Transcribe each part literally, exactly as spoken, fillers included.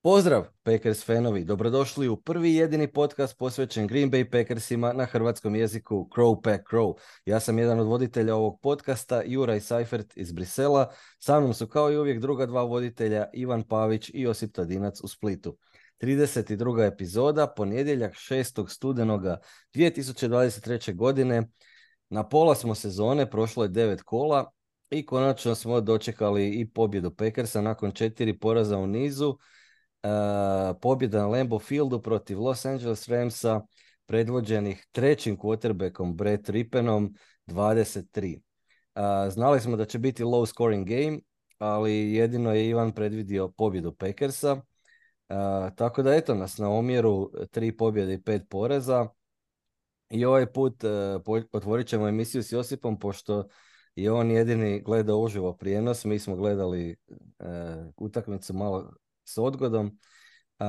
Pozdrav, Packers fanovi, dobrodošli u prvi i jedini podcast posvećen Green Bay Packersima na hrvatskom jeziku Crow Pack Crow. Ja sam jedan od voditelja ovog podcasta, Juraj Seifert iz Brisela. Sa mnom su kao i uvijek druga dva voditelja, Ivan Pavić i Josip Tadinac u Splitu. trideset druga epizoda, ponedjeljak šestog studenoga dvije tisuće dvadeset treće. godine. Na pola smo sezone, prošlo je devet kola i konačno smo dočekali i pobjedu Packersa nakon četiri poraza u nizu. Uh, pobjeda na Lambeau Fieldu protiv Los Angeles Ramsa, predvođenih trećim quarterbackom Brett Rippenom, dvadeset tri. Uh, znali smo da će biti low scoring game, ali jedino je Ivan predvidio pobjedu Packersa. Uh, tako da eto nas na omjeru tri pobjede i pet poraza. I ovaj put uh, po- otvorit ćemo emisiju s Josipom, pošto je on jedini gledao uživo prijenos. Mi smo gledali uh, utakmicu malo s odgodom. Uh,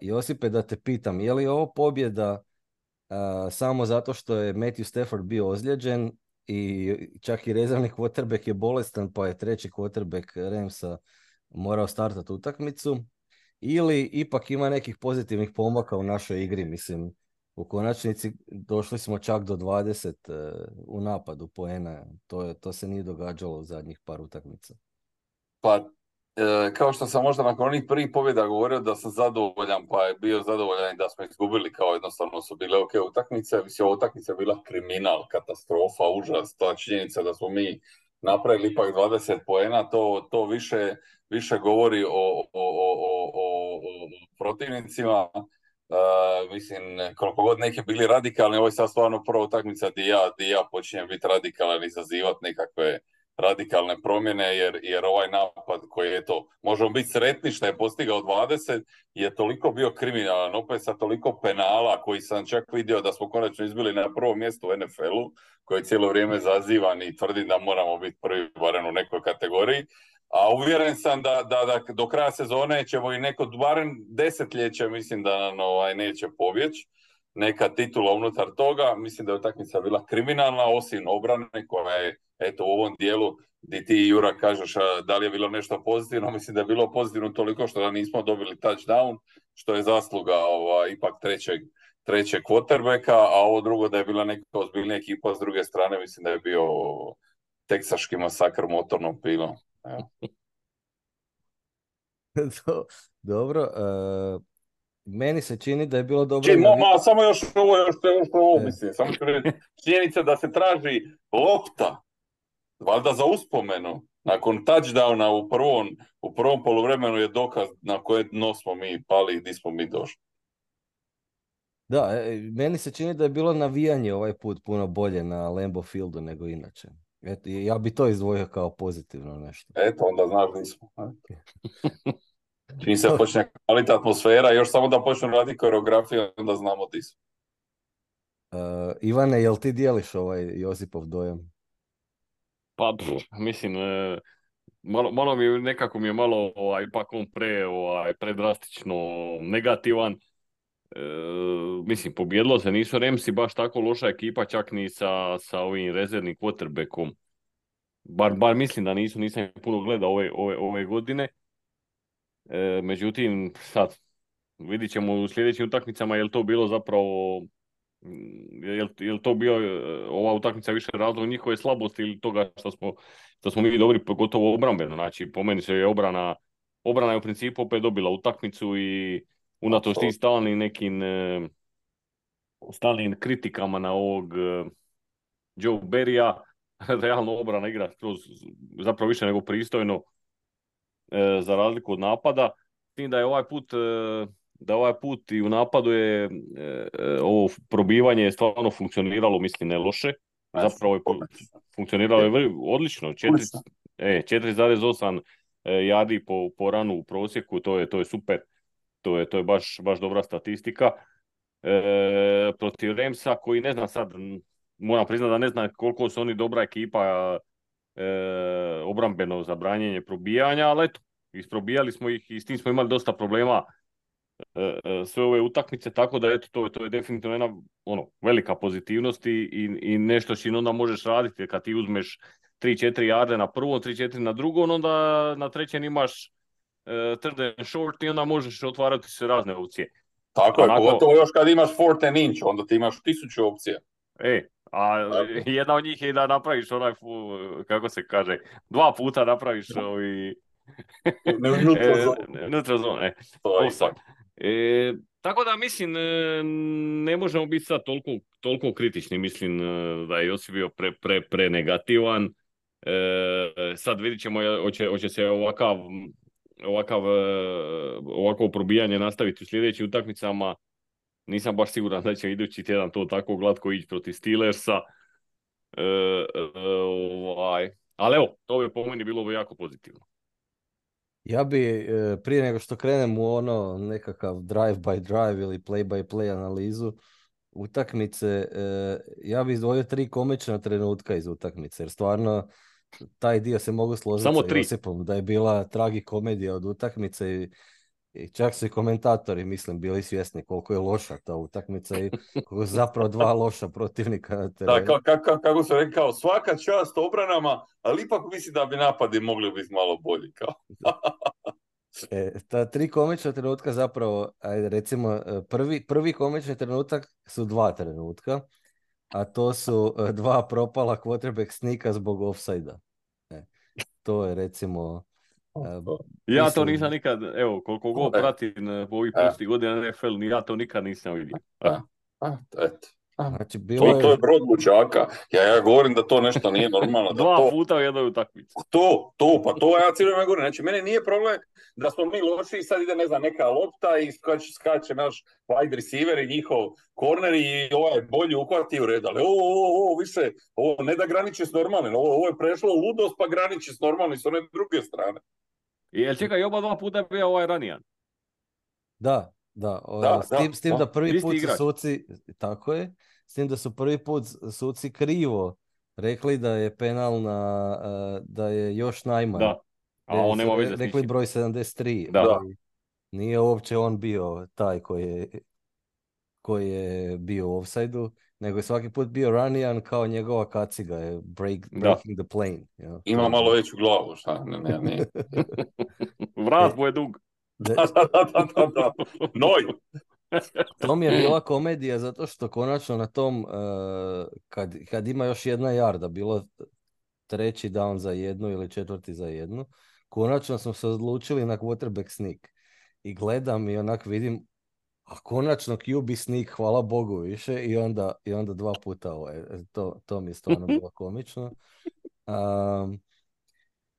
Josipe, da te pitam, je li ovo pobjeda uh, samo zato što je Matthew Stafford bio ozlijeđen i čak i rezervni quarterback je bolestan, pa je treći quarterback Ramsa morao startati utakmicu, ili ipak ima nekih pozitivnih pomaka u našoj igri? Mislim, u konačnici došli smo čak do dvadeset uh, u napadu poena. To, je, to se nije događalo u zadnjih par utakmica. Pa, e, kao što sam možda nakon onih prvih pobjeda govorio da sam zadovoljan, pa je bio zadovoljan i da smo izgubili, kao jednostavno su bile ok utakmice. Mislim, ova utakmica je bila kriminal, katastrofa, užas. Ta činjenica da smo mi napravili ipak dvadeset poena, to, to više, više govori o, o, o, o, o, o protivnicima. Uh, mislim, koliko god neki bili radikalni, ovo je sad stvarno prva utakmica gdje ja, gdje ja počinjem biti radikalan i izazivati nekakve radikalne promjene, jer, jer ovaj napad koji je to, možemo biti sretni što je postigao dvadeset, je toliko bio kriminalan, opet sa toliko penala koji sam čak vidio da smo konačno izbili na prvom mjestu u N F L-u, koji je cijelo vrijeme zazivan i tvrdim da moramo biti prvi barem u nekoj kategoriji. A uvjeren sam da, da, da do kraja sezone ćemo i neko barem desetljeće, mislim da nam ovaj, neće pobjeći neka titula unutar toga. Mislim da je utakmica bila kriminalna, osim obrane koja je, eto, u ovom dijelu gdje ti, Jura, kažeš da li je bilo nešto pozitivno. Mislim da je bilo pozitivno toliko što da nismo dobili touchdown, što je zasluga ovaj, ipak trećeg, trećeg quarterbacka, a ovo drugo da je bila neka ozbiljna ekipa s druge strane, mislim da je bio teksaški masakr motornom pilom. Evo. Dobro. Uh... Meni se čini da je bilo dobro... Či, navi... ma, samo još ovo, još, još ovo, e. mislim, samo ću reći, činjenica da se traži lopta, valjda za uspomenu, nakon touchdowna u prvom, u prvom poluvremenu je dokaz na koje dno smo mi pali i gdje smo mi došli. Da, e, meni se čini da je bilo navijanje ovaj put puno bolje na Lambeau Fieldu nego inače. Eto, ja bi to izdvojio kao pozitivno nešto. Eto, onda znaš gdje smo. Čim se počne kvaliti atmosfera, još samo da počnu raditi koreografiju, onda znamo ti smo. Uh, Ivane, jel ti dijeliš ovaj Josipov dojam? Pa, pff, mislim, e, malo, malo mi je, nekako mi je malo, ovaj, ipak on pre, ovaj, predrastično negativan. E, mislim, pobjedilo se, nisu Ramsi baš tako loša ekipa, čak ni sa, sa ovim rezervnim quarterbackom. Bar, bar mislim da nisu, nisam puno gledao ove, ove, ove godine. E, međutim, sad vidit ćemo u sljedećim utakmicama je li to bilo zapravo, je li, je li to bio ova utakmica više razlog njihove slabosti ili toga što smo, što smo mi dobri, pogotovo obrambeno. Znači, po meni se je obrana, obrana je u principu opet dobila utakmicu i unatoč tim stalnim nekim e, stalnim kritikama na ovog e, Joe Barrya, realno obrana igra kroz, zapravo više nego pristojno, e, za razliku od napada. S tim da je ovaj put, e, da ovaj put i u napadu je e, e, ovo probivanje stvarno funkcioniralo, mislim, ne loše. Zapravo je funkcioniralo je odlično. četiri zarez osam e, yardi po, po ranu u prosjeku, to je, to je super. To je, to je baš, baš dobra statistika. E, protiv Ramsa, koji ne znam sad, moram priznati da ne znam koliko su oni dobra ekipa e, obrambeno za branjenje probijanja, ali eto, isprobijali smo ih i s tim smo imali dosta problema e, e, sve ove utakmice, tako da eto, to, to je definitivno jedna ono, velika pozitivnost i, i, i nešto što onda možeš raditi kad ti uzmeš tri četiri jarde na prvom, tri četiri na drugom, onda na trećem imaš uh, third and short i onda možeš otvarati se razne opcije. Tako je, Onako- pogotovo još kad imaš fourth and inch, onda ti imaš tisuću opcija. E, a Tako. jedna od njih je da napraviš onaj, fu- kako se kaže, dva puta napraviš ovi... Ne, neutral e, zone. neutral zone, e. To je Offside. ipak. E, tako da mislim, e, ne možemo biti sad toliko, toliko kritični, mislim e, da je Josip bio pre, pre, pre negativan. E, sad vidit ćemo je- hoće, hoće se ovakav, ovakav, e, ovako probijanje nastaviti u sljedećim utakmicama. Nisam baš siguran da će idući tjedan to tako glatko ići protiv Steelersa. E, e, ovaj. Ali evo, to bi po meni bilo bi jako pozitivno. Ja bi, e, prije nego što krenem u ono nekakav drive by drive ili play by play analizu utakmice, e, ja bi izdvojio tri komična trenutka iz utakmice, jer stvarno taj dio se mogu složiti Samo sa tri. Josipom, da je bila tragikomedija od utakmice i, i čak su i komentatori, mislim, bili svjesni koliko je loša ta utakmica i koliko su zapravo dva loša protivnika na Da, terenu. ka, ka, ka, kako sam rekao, svaka čast obranama, ali ipak mislim da bi napadi mogli biti malo bolji. Kao. E, ta tri komična trenutka zapravo, ajde recimo, e, prvi, prvi komični trenutak su dva trenutka, a to su e, dva propala quarterback snika zbog offside-a. E, to je recimo... e, Ja mislim- to nisam nikad, evo, koliko god E. pratim e, ovih E. prošlih godina N F L, ni ja to nikad nisam vidio. A, a, eto. A, Znači, bilo To, to je je... brod lučaka. Ja, ja govorim da to nešto nije normalno. Da Dva to, puta u jednoj utakmici. to, to, pa to ja cijelo vrijeme govorim. Znači, mene nije problem da smo mi loši i sad ide, ne znam, neka lopta i skače, skače naš wide receiver i njihov corner i ovaj bolji uhvati u red. Ali ovo, ovo, ovo više, ovo ne da graniči s normalnim, ovo, ovo je prešlo u ludost pa graniči s normalnim s one druge strane. I jel čekaj, oba dva puta je bio ovaj Ranijan. Da, da, o, Da, s tim, da, s tim da da. prvi Isti put su igrač. suci, tako je, s tim da su prvi put suci krivo rekli da je penal na, e, da je još najman. Da. A Jer on su nema re- veze s rekli ničim. broj sedamdeset tri, Da. ali nije uopće on bio taj koji je, koji je bio u offside-u, nego je svaki put bio Ranijan kao njegova kaciga je break, Da. breaking the plane. jel? To Ima je- malo veću glavu, šta? Ne, ne, ne. Vrat E. mu je dug. De- Da, da, da, da, da. Noj! To mi je bila komedija zato što konačno na tom, eh, kad, kad ima još jedna jarda, bilo treći down za jednu ili četvrti za jednu, konačno smo se odlučili na quarterback sneak. I gledam i onak vidim, a konačno Q B sneak, hvala Bogu više, i onda, i onda dva puta ovo. E, To, to mi je stvarno bilo komično. Um,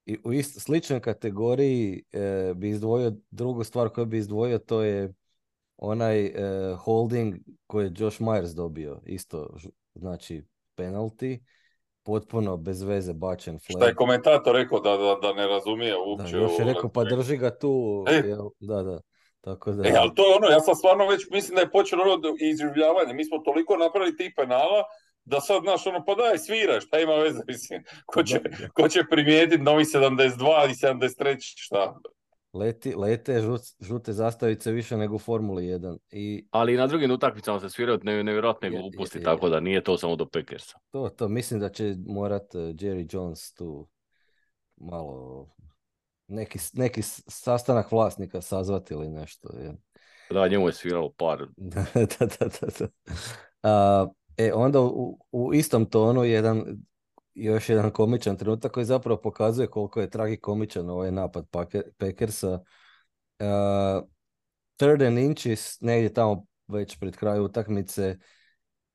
I u ist, sličnoj kategoriji eh, bi izdvojio drugu stvar koju bi izdvojio, to je onaj eh, holding koji je Josh Myers dobio, isto ž- znači penalty, potpuno bez veze bačen Šta je flag. komentator rekao da, da, da ne razumije Da, uopće. još je ovo, rekao pa drži ga tu, E. jel, da, da, tako da, E, ali to je ono, ja sam stvarno već mislim da je počelo ono do- izživljavanje. Mi smo toliko napravili tih penala da sad, znaš, ono, pa daj, svira, šta ima veze, mislim. Ko će, Da. ko će primijetiti novi sedamdeset dva i sedamdeset tri, šta? leti, lete žut- žute zastavice više nego u Formuli jedan i Ali i na drugim utakmicama se sviraju ne, nevjerojatne Je, je, gluposti, je. tako da nije to samo do Packersa. to, to mislim da će morat eh, Jerry Jones tu malo neki, neki s- sastanak vlasnika sazvati ili nešto, jel? Da, njemu je sviralo par. Da, da, da, da, da. A, e, onda u, u istom tonu jedan, još jedan komičan trenutak koji zapravo pokazuje koliko je tragikomičan ovaj napad Pake- Packersa. A, third and inches, negdje tamo već pred kraju utakmice,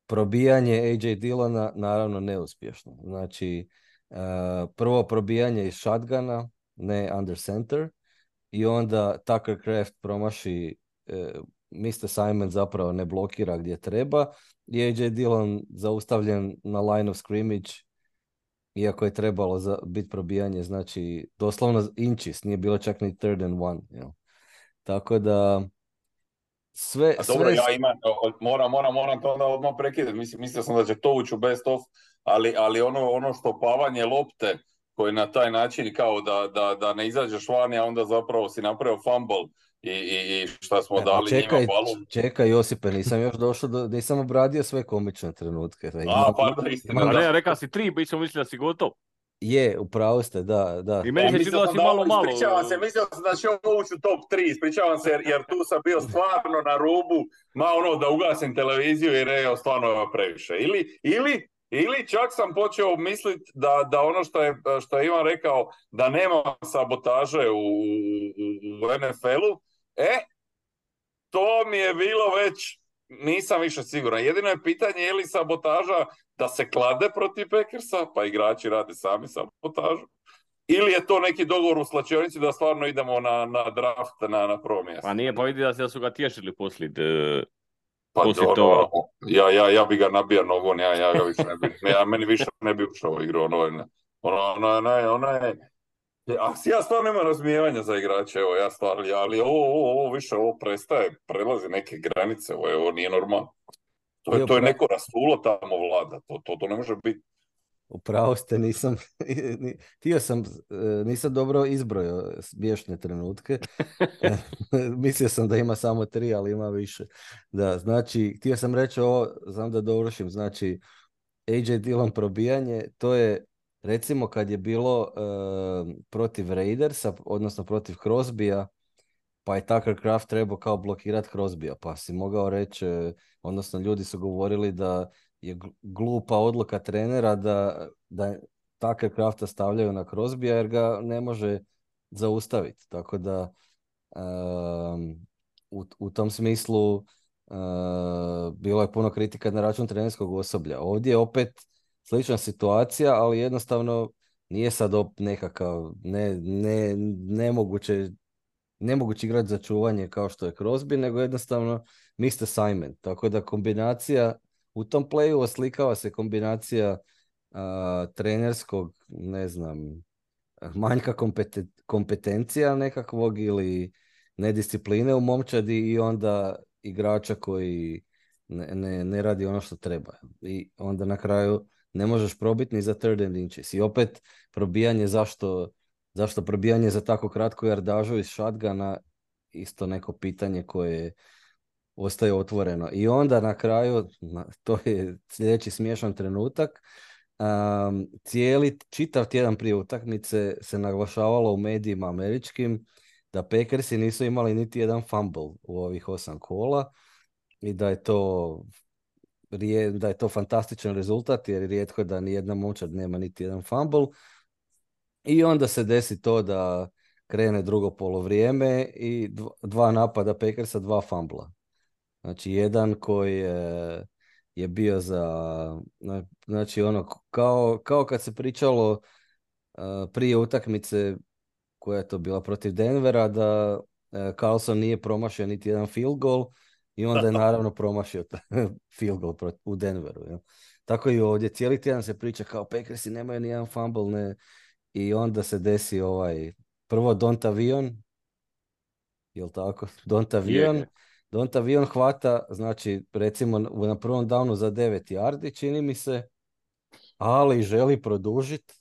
probijanje A J Dillona, naravno neuspješno. Znači, a, prvo probijanje iz shotguna, ne under center, i onda Tucker Kraft promaši, e, mister Simon zapravo ne blokira gdje treba i A J Dillon zaustavljen na line of scrimmage, iako je trebalo za, biti probijanje, znači doslovno inches, nije bilo čak ni third and one. Jel? Tako da sve, A dobro, sve ja imam, o- moram, moram, moram to onda odmah prekidati. Mislim, mislio sam da će to ući u best of, ali, ali ono, ono što pavanje lopte koje na taj način kao da, da, da ne izađeš vani, a onda zapravo si napravio fumble i, i, i šta smo E, a dali čekaj, njima balon. čekaj Josipe, nisam još došao do, nisam obradio sve komične trenutke. Da A, imam- pardon, istina, imam- A da. ne, reka si tri, bi smo mislili da si gotov. Je, upravo ste, da, da. I meni Ja, se mislio činilo da sam si da malo, ovo, malo... ispričavam se, mislio sam da će ovo ući u top tri, ispričavam se jer, jer tu sam bio stvarno na rubu, ma ono da ugasim televiziju jer je stvarno je previše. Ili, ili, ili čak sam počeo misliti da, da ono što je, što je Ivan rekao, da nema sabotaže u, u, u en ef el-u, e, to mi je bilo već, nisam više siguran. Jedino je pitanje je li sabotaža da se klade protiv Packersa, pa igrači rade sami sabotažu, ili je to neki dogovor u slačionici da stvarno idemo na, na draft na, na prvo mjesto. Pa nije, pa vidi da se- da su ga tješili poslije, de, Pa poslije ono, toga. ja, ja, ja bi ga nabija nogom, ja, ja ga više ne bi, ne, ja, meni više ne bi ušao u igru, ono, ono, ono, ono, ono, ono je, a ja stvarno nemam razumijevanja za igrače, evo, ja stvarno, ali ovo, ovo, ovo više, ovo prestaje, prelazi neke granice, ovo, ovo nije normalno. To je, Je, to je upra- neko rasulo tamo vlada, to, to, to ne može biti. upravo ste, nisam, ni- htio sam, e, nisam dobro izbrojao smiješne trenutke. Mislio sam da ima samo tri, ali ima više. Da, znači, htio sam reći ovo, znam da dovršim, znači, A J Dillon probijanje, to je, recimo kad je bilo e, protiv Raidersa, odnosno protiv Crosbya, pa je Tucker Kraft trebao kao blokirati Crosbya, pa si mogao reći, e, odnosno ljudi su govorili da je gl- glupa odluka trenera da, da Tucker Krafta stavljaju na Crosbya jer ga ne može zaustaviti. Tako da um, u, u tom smislu uh, bilo je puno kritika na račun trenerskog osoblja. Ovdje je opet slična situacija, ali jednostavno nije sad op nekakav ne, ne, nemoguće nemogući igrati za čuvanje kao što je Crosby, nego jednostavno missed assignment. Tako da kombinacija u tom playu oslikava se kombinacija a, trenerskog, ne znam, manjka kompeten- kompetencija nekakvog ili nediscipline u momčadi i onda igrača koji ne, ne, ne radi ono što treba. I onda na kraju ne možeš probiti ni za third and inches. I opet probijanje zašto, zašto probijanje za tako kratku jardažu iz shotguna isto neko pitanje koje ostaje otvoreno. I onda na kraju, na- to je sljedeći smiješan trenutak, um, cijeli, čitav tjedan prije utakmice se naglašavalo u medijima američkim da Packersi nisu imali niti jedan fumble u ovih osam kola i da je to rije- da je to fantastičan rezultat jer je rijetko da ni jedna momčad nema niti jedan fumble. I onda se desi to da krene drugo polovrijeme i dva, dva napada Packersa, dva fumbla. Znači, jedan koji je, je bio za, znači ono, kao, kao kad se pričalo uh, prije utakmice koja je to bila protiv Denvera, da uh, Carlson nije promašio niti jedan field goal i onda je naravno promašio taj field goal prot- u Denveru. Jel? Tako i ovdje, cijeli tjedan se priča kao Packersi nemaju ni jedan fumble, ne, i onda se desi ovaj, prvo Dontavion, jel tako? Je, Dontavion, je. Dontavion hvata, znači recimo na prvom downu za devet yardi, čini mi se, ali želi produžiti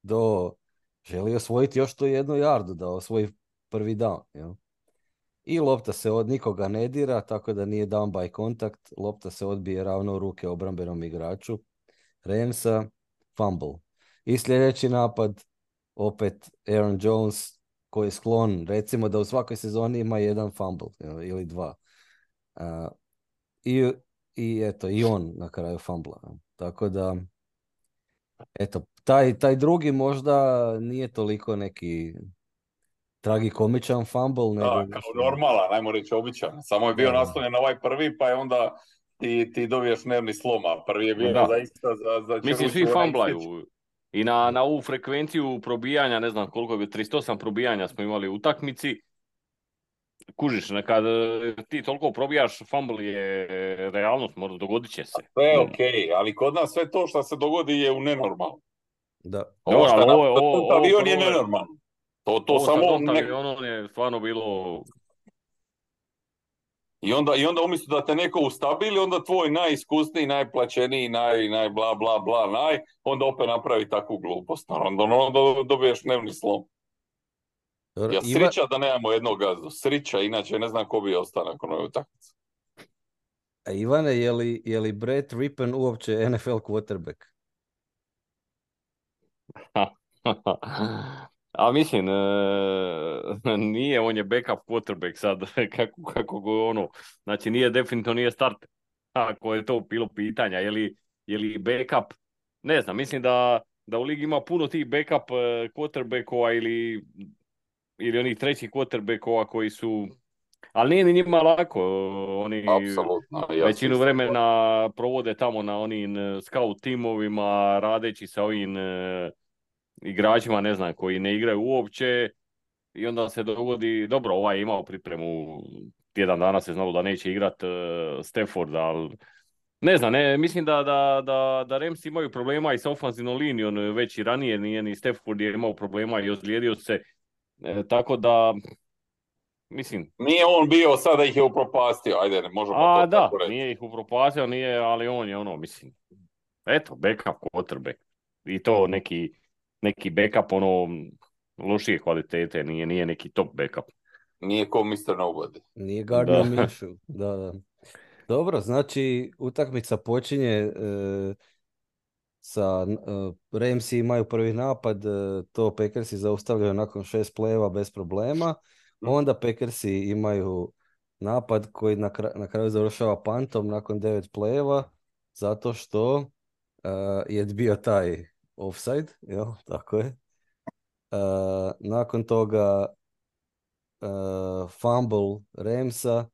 do, želi osvojiti još tu jednu yardu da osvoji prvi down. Jel? I lopta se od nikoga ne dira, tako da nije down by contact, lopta se odbije ravno u ruke obrambenom igraču Ramsa, fumble. I sljedeći napad, opet Aaron Jones koji je sklon, recimo da u svakoj sezoni ima jedan fumble jel, ili dva. Uh, i, I eto, i on na kraju fumbla. Tako da, eto, taj, taj drugi možda nije toliko neki tragikomičan fumble, nego Da, kao više... normalan, ajmo reći običan. Samo je bio Da, da. naslonjen na ovaj prvi, pa je onda ti, ti dobiješ nervni slom, a prvi je Ma bio da. zaista za, za Mislim, čeruću svi onaj istič. famblaju. I na, na ovu frekvenciju probijanja, ne znam koliko je bilo, trideset osam probijanja smo imali u utakmici. Kužiš, kad e, ti toliko probijaš, fumble je realnost, možda dogodit će se. Sve je okej, ali kod nas sve to što se dogodi je u nenormalno. Da. Ovo Dobro, što je ali ovo, je- napravio ovo, ovo, avion je prvo je- nenormalno. To, to ovo sa samo Donta ne... avionom je stvarno bilo... I onda, I onda umjesto da te neko ustabili, onda tvoj najiskusniji, najplaćeniji, naj, naj bla bla bla, naj, onda opet napravi takvu glupost. Onda, onda dobiješ dnevni slom. Dobro, Ja Iva, srića da nemamo jednog gazdu. Srića, inače ne znam ko bi ostao nakon ove utakmice. a Ivane, je li, je li Brett Rippon uopće N F L quarterback? Ha, A mislim, e, nije, on je backup quarterback sad, kako, kako go ono, znači nije definitivno nije starter. Ako je to bilo pitanja, je li, je li backup, ne znam, mislim da, da u ligi ima puno tih backup e, quarterbackova ili, ili onih trećih quarterbackova koji su, ali nije ni njima lako, oni Apsolutno, ja se većinu isto vremena provode tamo na onim e, scout timovima, radeći sa ovim e, igračima, ne znam, koji ne igraju uopće i onda se dogodi, dobro, ovaj je imao pripremu, tjedan dana se znalo da neće igrat uh, Stafford, ali ne znam, ne, mislim da, da, da, da Rams imaju problema i sa ofanzivnom linijom već i ranije, nije ni Stafford je imao problema i ozlijedio se, e, tako da, mislim, nije on bio sada ih je upropastio, ajde, ne možemo a to da, tako reći. nije ih upropastio, nije, ali on je ono, mislim, eto, backup quarterback i to neki, neki backup ono lošije kvalitete, nije, nije neki top backup. Nije ko mister Nobody. Nije Gardner Da. Minshew. Da, da. Dobro, znači utakmica počinje e, sa e, Ramsi imaju prvi napad, e, to Packersi zaustavljaju nakon šest plejeva bez problema. Onda Packersi imaju napad koji na, kra- na kraju završava pantom nakon devet plejeva zato što e, je bio taj offside, jel? Tako je. E, nakon toga e, fumble Ramsa,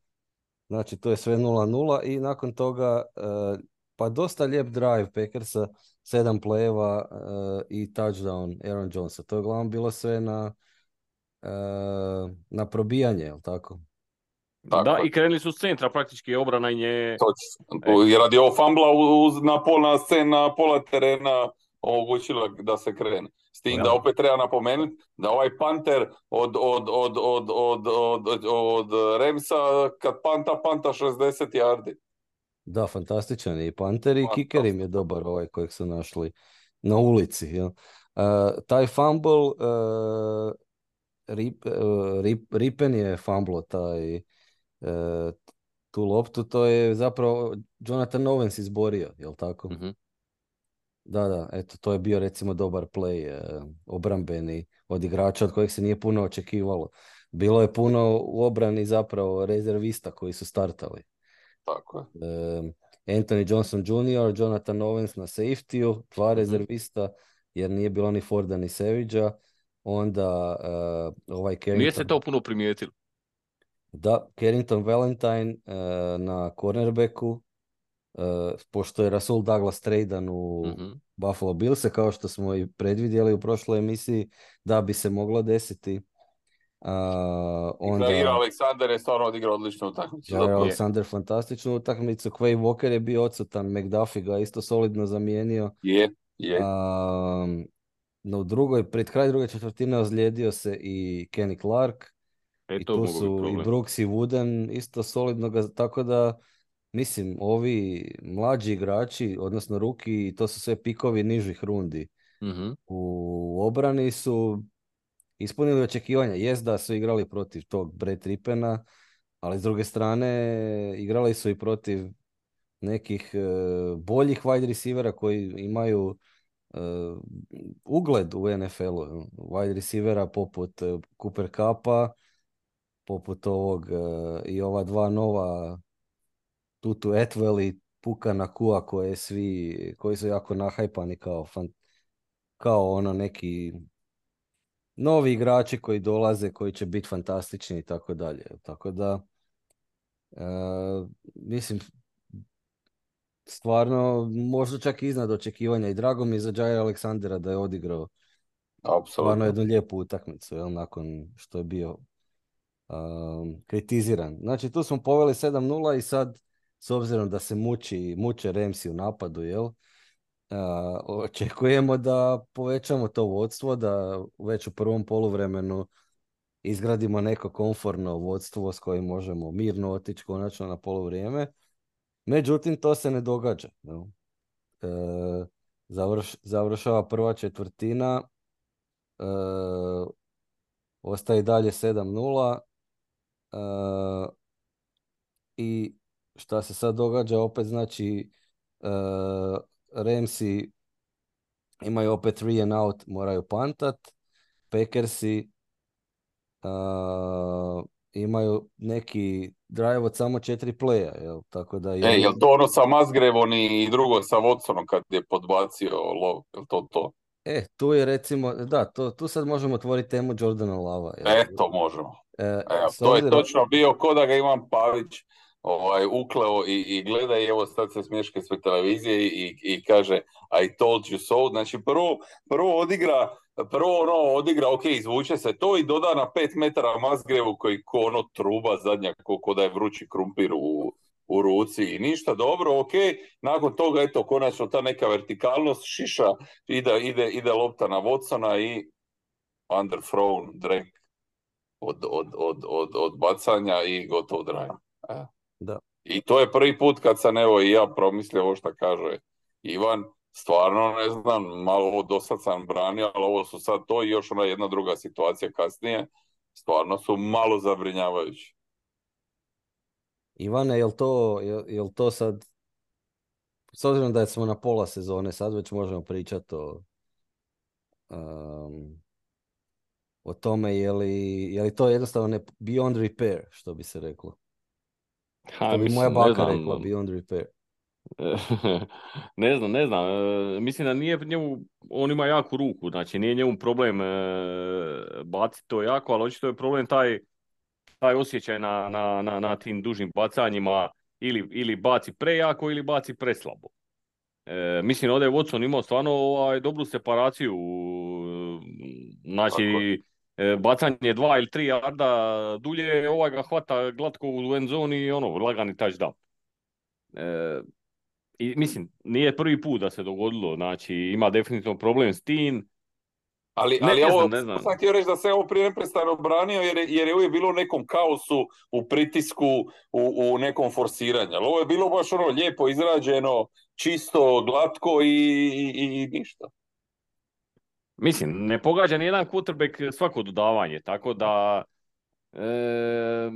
znači to je sve nula nula i nakon toga e, pa dosta lijep drive Packersa, sedam plejeva e, i touchdown Aaron Jonesa. To je uglavnom bilo sve na, e, na probijanje, jel tako? Tako Da, je. i krenuli su s centra, praktički obrana i nje... Točno. I radi ovog fambla uz, na pola scena, pola terena omogućila da se krene. S tim da opet treba napomenuti da ovaj panter od, od, od, od, od, od, od, od Ramsa kad panta, panta šezdeset yardi. Da, fantastičan je i panter i kicker im je dobar ovaj kojeg su našli na ulici. Jel? Uh, taj fumble, uh, Rip, uh, Rip, Ripen je fumblo taj uh, tu loptu, to je zapravo Jonathan Owens izborio, jel tako? Uh-huh. Da, da, eto, to je bio recimo dobar play, uh, obrambeni od igrača od kojeg se nije puno očekivalo. Bilo je puno u obrani zapravo rezervista koji su startali. Tako je. Uh, Anthony Johnson junior, Jonathan Owens na safety-u, dva Mhm. rezervista, jer nije bilo ni Forda ni Savage-a. Onda uh, ovaj Nije Carrington... se to puno primijetilo. Da, Carrington Valentine uh, na cornerbacku, uh, pošto je Rasul Douglas tradan u Mhm. Buffalo Billse, kao što smo i predvidjeli u prošloj emisiji, da bi se moglo desiti. Uh, onda... Zaira Alexander je stvarno odigrao odličnu utakmicu. Jair Zapravo. Alexander fantastičnu utakmicu, Quay Walker je bio odsutan, McDuffie ga isto solidno zamijenio. Je, je. Um, no u drugoj, pred kraj druge četvrtine ozlijedio se i Kenny Clark. E, I to tu mogu biti su i problem. Brooks i Wooden isto solidno ga, tako da mislim, ovi mlađi igrači, odnosno ruki, to su sve pikovi nižih rundi. Mhm. U obrani su ispunili očekivanja. Jest da su igrali protiv tog Brett Rippena, ali s druge strane igrali su i protiv nekih e, boljih wide receivera koji imaju e, ugled u N F L-u. Wide receivera poput e, Cooper Cupa, poput ovog e, i ova dva nova Tutu Atwell i Puka Nakua koje svi, koji su jako nahajpani kao, fan, kao ono neki novi igrači koji dolaze, koji će biti fantastični i tako dalje. Tako da e, mislim stvarno možda čak i iznad očekivanja i drago mi je za Jaira Aleksandera da je odigrao stvarno Apsolutno. jednu lijepu utakmicu, jel, nakon što je bio um, kritiziran. Znači tu smo poveli sedam nula i sad s obzirom da se muči, muče Ramsi u napadu, jel, uh, očekujemo da povećamo to vodstvo, da već u prvom poluvremenu izgradimo neko komforno vodstvo s kojim možemo mirno otići konačno na poluvrijeme. Međutim, to se ne događa. Jel? E, završ, završava prva četvrtina, e, ostaje dalje sedam nula e, i šta se sad događa opet, znači e, Ramsi imaju opet three and out, moraju pantat, Packersi uh, imaju neki drive od samo četiri playa, jel? Tako da E, jedno... jel to ono sa Musgraveom i drugo sa Watsonom kad je podbacio lov, jel to to? E, tu je recimo, da, to, tu sad možemo otvoriti temu Jordana Lava. Jel? Eto, možemo. E, Evo, s to je obzirom, točno bio ko da ga imam Pavić ovaj, ukleo i, i gleda i evo sad se smješka sve televizije i, i kaže I told you so. Znači prvo, prvo odigra, prvo ono odigra, ok, izvuče se to i doda na pet metara Musgravu koji ko ono truba zadnja, ko, ko da je vrući krumpir u, u ruci i ništa, dobro, ok. Nakon toga, eto, konačno ta neka vertikalnost šiša, ide, ide, ide lopta na Watsona i underthrown, drag od, od, od, od, od bacanja i gotovo drive. E. da. I to je prvi put kad sam evo i ja promislio ovo što kaže Ivan, stvarno ne znam, malo ovo dosad sam branio, ali ovo su sad to i još ona jedna druga situacija kasnije, stvarno su malo zabrinjavajući. Ivane, jel to, jel, jel to sad, s obzirom da smo na pola sezone, sad već možemo pričati o, um, o tome je li, je li to jednostavno ne, beyond repair, što bi se reklo. Ha, Što bi mislim, moja ne baka znam. rekla, beyond repair. Ne znam, ne znam. E, mislim da nije njemu, on ima jaku ruku, znači nije njemu problem e, baciti to jako, ali očito je problem taj, taj osjećaj na, na, na, na tim dužim bacanjima, ili, ili baci prejako ili baci preslabo. E, mislim ovdje je Watson imao stvarno ovaj, dobru separaciju, znači e, bacanje dva ili tri yarda dulje, ovaj ga hvata glatko u end zoni i ono, lagani touchdown. E, I mislim, nije prvi put da se dogodilo, znači ima definitivno problem s tim. Ali, Ne ali znam, ovo, ne znam. sam htio reći da se ovo prije neprestano branio jer je, jer je uvijek bilo u nekom kaosu, u pritisku, u, u nekom forsiranju. Ali ovo je bilo baš ono lijepo izrađeno, čisto, glatko i, i, i ništa. Mislim, ne pogađa ni jedan quarterback svako dodavanje, tako da e,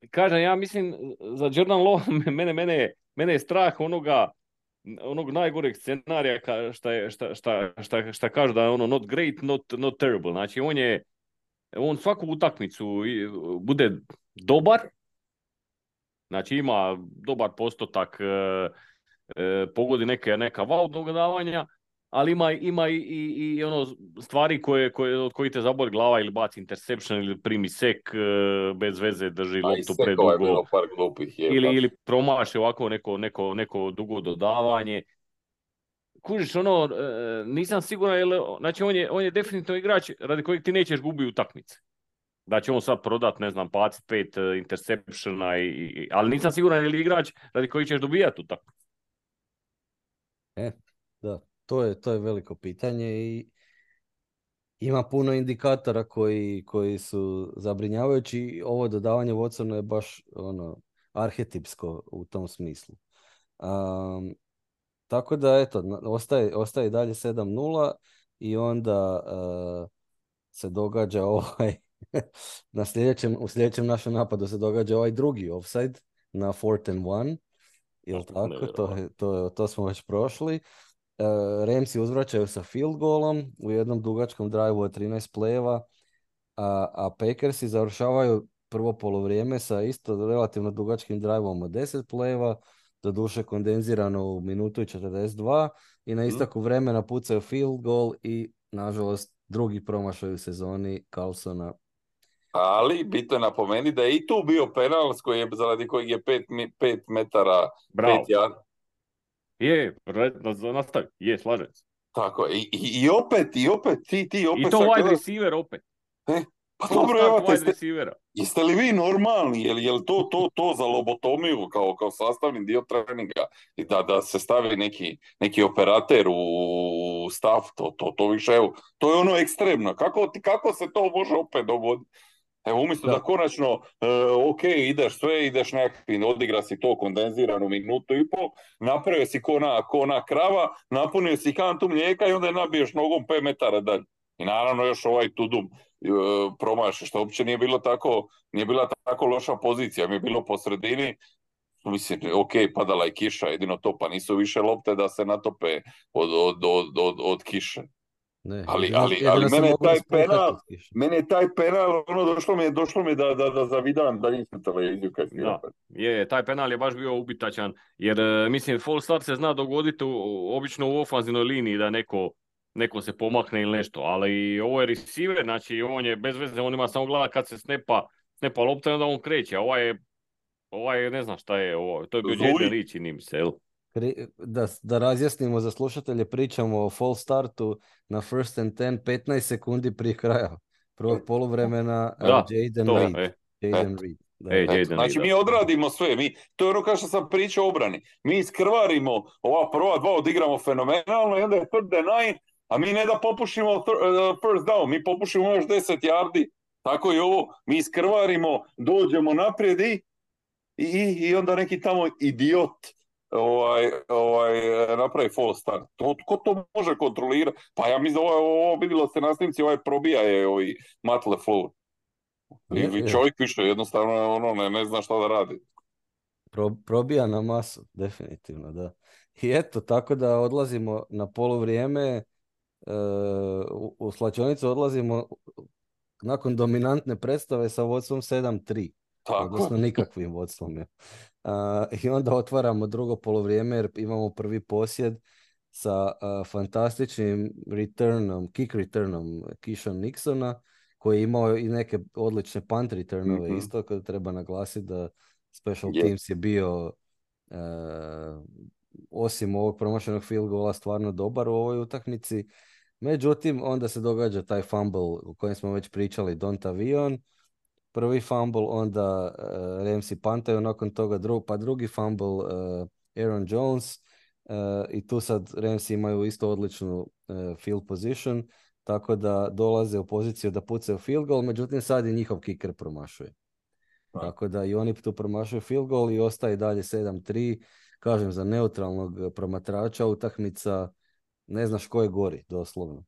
kažem, ja mislim za Jordan Love, mene, mene, mene je strah onoga onog najgoreg scenarija ka, šta, je, šta, šta, šta, šta kaže da je ono not great, not, not terrible. Znači on je on svaku utakmicu bude dobar, znači ima dobar postotak, e, e, pogodi neke, neka wow dodavanja, ali ima, ima i, i, i ono stvari koje, koje, od kojih te zaboli glava ili baci interception ili primi sek, e, bez veze drži A i loptu sekova je predugo. bilo par glupih. Je, Ili, ili promaši ovako neko, neko, neko dugo dodavanje. Kužiš, ono, e, nisam siguran, jel, znači on je, on je definitivno igrač radi kojeg ti nećeš gubiti utakmice. Da će on sad prodat, ne znam, bacit pet uh, interceptiona, i, i, ali nisam siguran je li igrač radi kojeg ćeš dobijati utakmice. E, da, to je, to je veliko pitanje i ima puno indikatora koji, koji su zabrinjavajući. Ovo dodavanje Watsona je baš ono, arhetipsko u tom smislu. Um, tako da, eto, ostaje, ostaje dalje sedam nula i onda uh, se događa ovaj, na sljedećem, u sljedećem našem napadu se događa ovaj drugi offside na fourth and one. Jel tako? To, je, to, to smo već prošli. Uh, Ramsi uzvraćaju sa field goalom u jednom dugačkom drive-u od trinaest play-eva, a, a Packersi završavaju prvo poluvrijeme sa isto relativno dugačkim drive-om od deset play-eva, doduše kondenzirano u minutu i četrdeset dva i na istaku vremena pucaju field goal i nažalost drugi promašaj u sezoni Carlsona. Ali bitno je napomenuti da je i tu bio penal s koji je, zaradi kojeg je pet, pet metara, Bravo. pet jar. Je, nastavi, je, slažem se. Tako, i, i, i opet, i opet, ti, ti opet... I to wide gleda... receiver opet. E, pa to dobro, evo te, jeste, receivera. Jeste li vi normalni? Je li, je li to, to, to za lobotomiju kao, kao sastavni dio treninga? I da, da se stavi neki, neki operater u stav, to, to, to više, evo, to je ono ekstremno. Kako, kako se to može opet dogoditi? Evo, umjesto da, da konačno, uh, ok, ideš sve, ideš nekakvi, odigra si to kondenziranu minutu i pol, napravio si ko na, ko na krava, napunio si kantu mlijeka i onda je nabiješ nogom pet metara dalje. I naravno još ovaj tudum uh, promaši, što uopće nije bilo tako, nije bila tako loša pozicija, mi je bilo po sredini, mislim, ok, padala je kiša, jedino to, pa nisu više lopte da se natope od, od, od, od, od kiše. Ne, Ali, jedino, ali, ali jedino se mene je moglo taj spuhati penal, uz kišu. mene je taj penal, ono, došlo mi je, došlo mi je da, da, da zavidam daljinsku televiziju kad si Da, opet. je, taj penal je baš bio ubitačan, jer e, mislim, false start se zna dogoditi u, obično u ofanzivnoj liniji da neko, neko se pomakne ili nešto, ali ovo je receiver, znači on je bez veze, on ima samo gleda kad se snepa, snepa lopta i onda on kreće, a ovaj je, ovaj je, ne znam šta je, ovo, to je bio Jaden Zuji. Reed, čini mi se, jel? Kri- Da, da razjasnimo za slušatelje, pričamo o false startu na first and ten, petnaest sekundi prije kraja prvog poluvremena, uh, Da, Jaden to, Reed. e, Jaden Eto. Reed, da, e, da. Eto, Jaden Reed, znači da. mi odradimo sve, mi, to je ono kao što sam pričao o obrani. Mi iskrvarimo ova prva dva, odigramo fenomenalno i onda je third and nine, a mi ne da popušimo th- uh, first down, mi popušimo još deset yardi. Tako i ovo, mi iskrvarimo, dođemo naprijed i, i, i onda neki tamo idiot ovaj, ovaj, napravi false start. To, ko to može kontrolirati? Pa ja mislim da ovo, ovo vidjelo se na snimci, ovaj probija je ovaj Matt LaFleur. I, Je, i je. čovjek više jednostavno ono, ne, ne zna šta da radi. Pro, probija na masu, definitivno, da. I eto, tako da odlazimo na poluvrijeme, e, u, u slačionicu odlazimo nakon dominantne predstave sa vodstvom sedam tri. Tako Odnosno je. nikakvim vodstvom. Je. A, I onda otvaramo drugo poluvrijeme jer imamo prvi posjed sa a, fantastičnim returnom, kick returnom Keyshawn Nixona, koji je imao i neke odlične punt returnove Mhm. isto, kad treba naglasiti da special Je. teams je bio e, osim ovog promašenog field goala stvarno dobar u ovoj utakmici. Međutim, onda se događa taj fumble o kojem smo već pričali, Dontavion, prvi fumble, onda uh, Ramsey pantaju, nakon toga drug, pa drugi fumble uh, Aaron Jones uh, i tu sad Ramsey imaju isto odličnu uh, field position, tako da dolaze u poziciju da pucaju field goal, međutim sad i njihov kicker promašuje. Da. Tako da i oni tu promašuju field goal i ostaje dalje sedam tri. Kažem, za neutralnog promatrača utakmica ne znaš ko je gori, doslovno.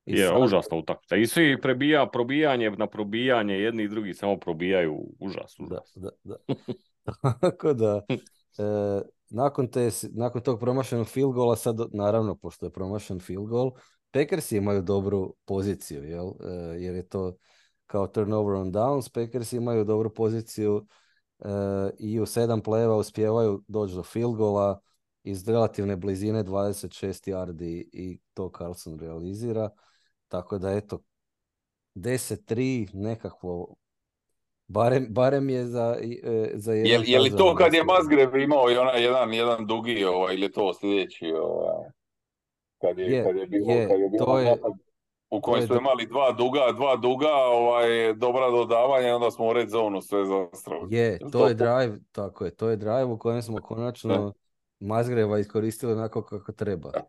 I Je, sad, užasna utakmica. I svi prebija, probijanje na probijanje, jedni i drugi samo probijaju, užas, da, užas. da, da. Tako da, e, nakon, te, nakon tog promašenog field goala, sad naravno, pošto je promašen field goal, Packersi imaju dobru poziciju, jel? E, jer je to kao turnover on downs, Packersi imaju dobru poziciju e, i u sedam play-eva uspijevaju doći do field goala iz relativne blizine dvadeset šest yardi i to Carlson realizira. Tako da, eto, deset tri nekakvo, barem, barem je za, e, za Je, jedan je li to touchdown kad je dosta. Musgrave imao i onaj jedan, jedan dugi, ovaj, ili je to sljedeći, ovaj, kad je, Je, kad je bilo, je, kad je bio to je, napad u to kojem je, smo dru- imali dva duga, dva duga, ovaj, dobra dodavanja i onda smo u red zonu sve zastrali. je, Je li to je to? drive, tako je, to je drive u kojem smo Ne? konačno Mazgreva iskoristili onako kako treba. E,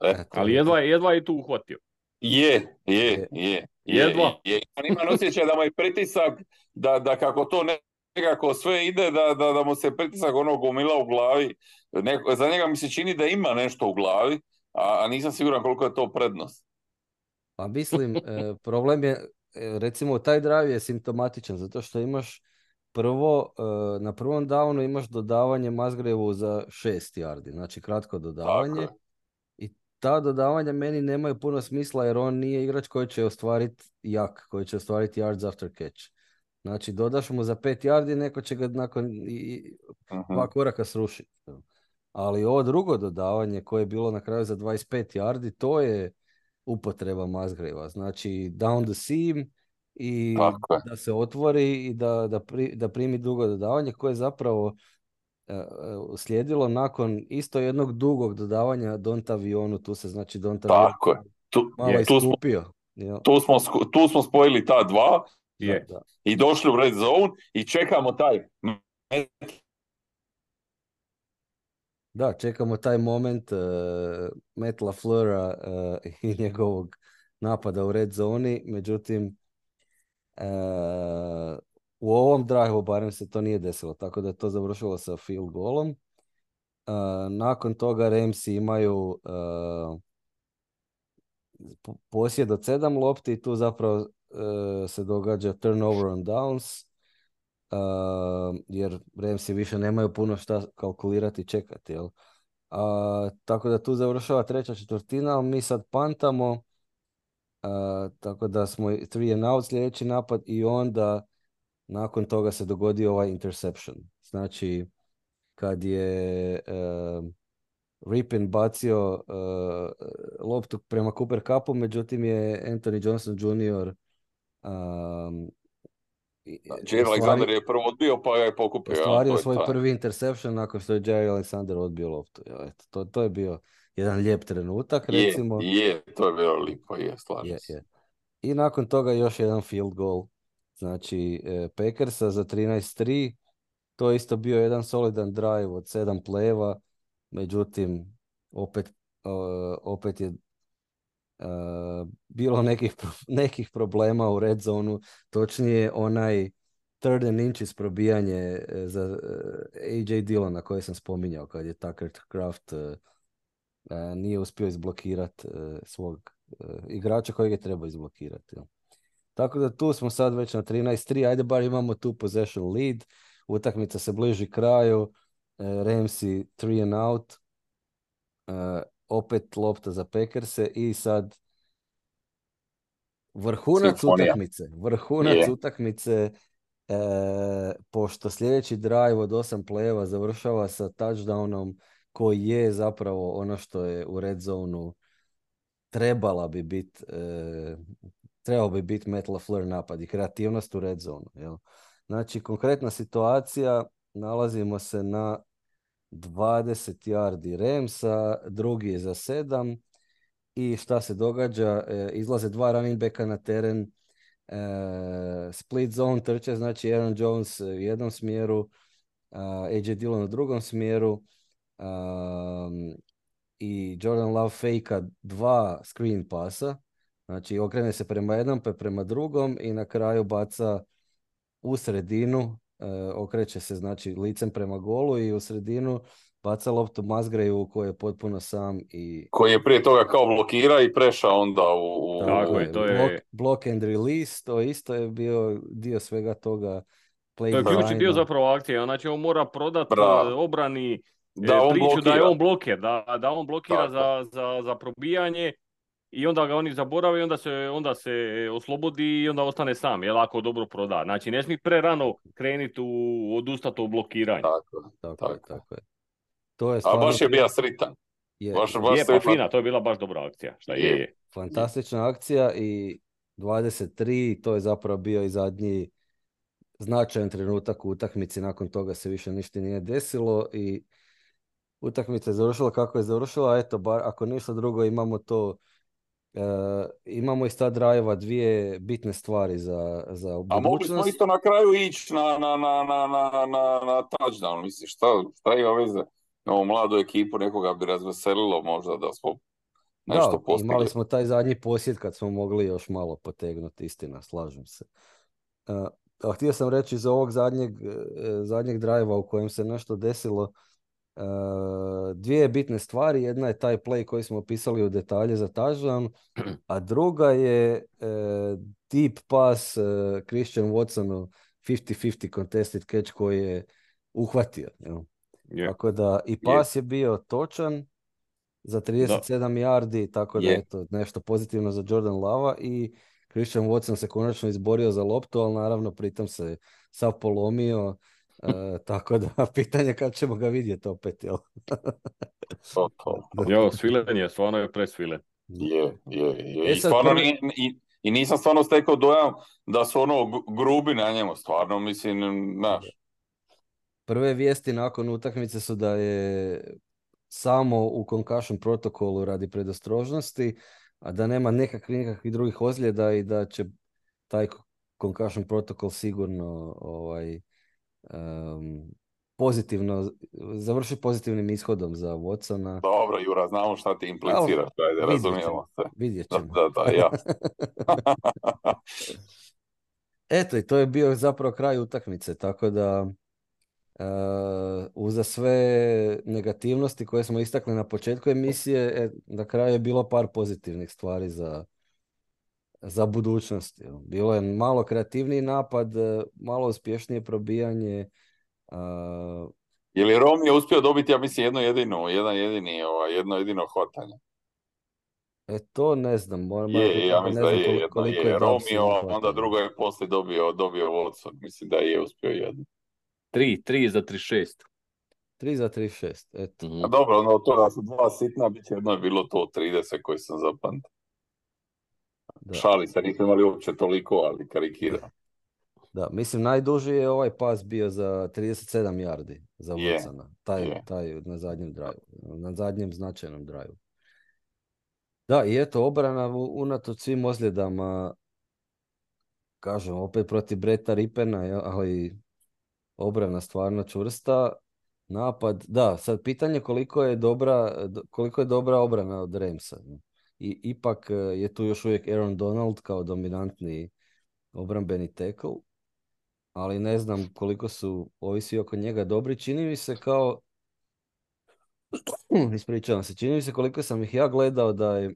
E, to Ali je, jedva, je- jedva je tu uhvatio. Je, je, je, je, je, Jedva. je. On ima osjećaj da mu je pritisak, da, da kako to ne- nekako sve ide, da, da, da mu se pritisak ono gomila u glavi. Neko, za njega mi se čini da ima nešto u glavi, a, a nisam siguran koliko je to prednost. pa mislim, e, problem je, e, recimo taj drive je simptomatičan, zato što imaš prvo, e, na prvom downu imaš dodavanje Mazgrevu za šest yardi, znači kratko Tako dodavanje. je. I ta dodavanja meni nemaju puno smisla jer on nije igrač koji će ostvariti jak, koji će ostvariti yards after catch. Znači dodaš mu za pet yardi, neko će ga nakon i, i Mhm. dva koraka srušiti. Ali ovo drugo dodavanje koje je bilo na kraju za dvadeset pet yardi, to je upotreba Musgrava. Znači down the seam i Tako je. da se otvori i da, da, pri, da primi drugo dodavanje koje je zapravo slijedilo nakon isto jednog dugog dodavanja Dontavionu, tu se znači Dontavion Tako je. Tu, malo Je. tu, smo, iskupio. jel? tu, smo, sku- tu smo spojili ta dva Da, Je. da. i došli u red zone i čekamo taj Da, čekamo taj moment uh, Matt LaFleura uh, i njegovog napada u red zoni, međutim uh, u ovom drive barem se to nije desilo, tako da je to završilo sa field goalom. Uh, nakon toga Ramsi imaju uh, posjed od sedam lopti i tu zapravo uh, se događa turnover on downs, uh, jer Ramsi više nemaju puno šta kalkulirati i čekati, jel? Uh, tako da tu završava treća četvrtina, ali mi sad pantamo Uh, tako da smo three and out sljedeći napad i onda nakon toga se dogodio ovaj interception. Znači, kad je uh, Ripien bacio uh, loptu prema Cooper Cupu, međutim je Anthony Johnson junior um, Znači, Alexander je prvo odbio, pa je pokupio. ostvario ja, to svoj je prvi interception nakon što je Jerry Alexander odbio loptu. Ja, eto, to, to je bio jedan lijep trenutak, je, recimo. je, to je bilo lipo, je, slažem Je, se. je. I nakon toga još jedan field goal. Znači, e, Packersa za trinaest tri. To je isto bio jedan solidan drive od sedam plejeva. Međutim, opet, uh, opet je uh, bilo nekih, nekih problema u red zonu. Točnije, onaj third and inches probijanje za uh, A J Dillona koje sam spominjao kad je Tucker Kraft uh, uh, nije uspio izblokirati uh, svog uh, igrača kojeg je trebao izblokirati. Ja. Tako da tu smo sad već na trinaest tri, ajde bar imamo tu possession lead, utakmica se bliži kraju, uh, Ramsey three and out, uh, opet lopta za Packerse i sad vrhunac Simfonija. utakmice, vrhunac Je. utakmice, e, pošto sljedeći drive od osam plejeva završava sa touchdownom koji je zapravo ono što je u red zonu trebala bi biti e, trebao bi biti Matt LaFleur napad i kreativnost u red zonu. Jel? Znači, konkretna situacija, nalazimo se na dvadeset yardi Ramsa, drugi je za sedam i šta se događa? E, izlaze dva running backa na teren, e, split zone trče, znači Aaron Jones u jednom smjeru, a J J Dillon u drugom smjeru, um, i Jordan Love fejka dva screen pasa, znači okrene se prema jednom pa prema drugom i na kraju baca u sredinu, e, okreće se znači licem prema golu i u sredinu baca loptu Musgravu koji je potpuno sam i Koji je prije toga kao blokira i prešao onda u... u... Tako je, to je- block, block and release, to isto je bio dio svega toga. Play To je ključni dio designa. zapravo akcije, znači on mora prodati Bravo. obrani Da e, on priču da je blokira. on bloker, da, da on blokira Tako. za, za, za probijanje i onda ga oni zaborave i onda se, onda se oslobodi i onda ostane sam, jel, ako dobro proda. Znači ne smije prerano krenuti u odustati od blokiranja. Tako, Tako je, tako. tako je. To je A stvarno baš je bio sritan. je, Baš, baš Je, se pa fina, to je bila baš dobra akcija. Šta je, Je. je. fantastična akcija i dvadeset tri, to je zapravo bio i zadnji značajan trenutak u utakmici, nakon toga se više ništa nije desilo i utakmica je završila kako je završila, eto, bar ako ništa drugo imamo to, e, imamo iz ta drajeva dvije bitne stvari za, za A mogli smo budućnost. isto na kraju ići na, na, na, na, na, na, na touchdown, misliš, šta, šta ima veze? Ovu mladu ekipu nekoga bi razveselilo možda da smo nešto Da, postigli. imali smo taj zadnji posjed kad smo mogli još malo potegnuti, istina, slažem se. Uh, a htio sam reći iz ovog zadnjeg, uh, zadnjeg drajva u kojem se nešto desilo, uh, dvije bitne stvari. Jedna je taj play koji smo opisali u detalje za touchdown, a druga je uh, deep pass uh, Christian Watsonu fifty fifty contested catch koji je uhvatio. Jel? Je. Tako da i pas je bio točan za trideset sedam yardi, tako da Je. eto nešto pozitivno za Jordan Lava i Christian Watson se konačno izborio za loptu, ali naravno pritom se sav polomio, e, tako da pitanje kad ćemo ga vidjeti opet, jel? To, to. Jo, svilen je, stvarno je presvilen. Je, je, je. E I sad stvarno prvi- nije, i, i nisam stvarno stekao dojam da su ono gu- grubi na njemu, stvarno, mislim, znaš. Prve vijesti nakon utakmice su da je samo u concussion protokolu radi predostrožnosti, a da nema nekakvih, nekakvih drugih ozljeda i da će taj concussion protokol sigurno ovaj, um, pozitivno, završi pozitivnim ishodom za Watsona. Dobro, Jura, znamo šta ti impliciraš, ajde, Vidjet razumijemo ćemo, se. vidjet Da, ćemo. da, da, ja. Eto, i to je bio zapravo kraj utakmice, tako da uh, uza sve negativnosti koje smo istakli na početku emisije, e, na kraju je bilo par pozitivnih stvari za, za budućnost. jel. Bilo je malo kreativniji napad, e, malo uspješnije probijanje. Uh, Je li Rom je uspio dobiti, ja mislim, jedno jedino, jedan jedini, ovaj, jedno jedino hvatanje? E to ne znam, moram, moram Je, priznati ja da mislim ne da znam je, koli- jedna koliko je je Dubs Romeo, a uhvatio. onda druga je poslije dobio, dobio Watson. Mislim da je uspio jedno. Tri, tri za trideset šest. tri za tri šest, eto. Mhm. A dobro, ono, to da su dva sitna, bit će jedno je bilo to trideset koji sam zapamtio. Da. Šali se, nismo imali uopće toliko, ali karikira. Da, mislim najduži je ovaj pas bio za trideset sedam yardi za Je, Wilsona. Taj, je. taj na zadnjem drive, na zadnjem značajnom drive. Da, i eto, obrana u- unatoč svim ozljedama, kažem, opet protiv Breta Ripena, jel, ali obrana stvarno čvrsta. Napad, da, sad pitanje koliko je dobra, do- koliko je dobra obrana od Ramsa. I ipak eh, je tu još uvijek Aaron Donald kao dominantni obrambeni tackle, ali ne znam koliko su ovisi oko njega dobri. Čini mi se kao, ispričavam se, čini mi se koliko sam ih ja gledao da je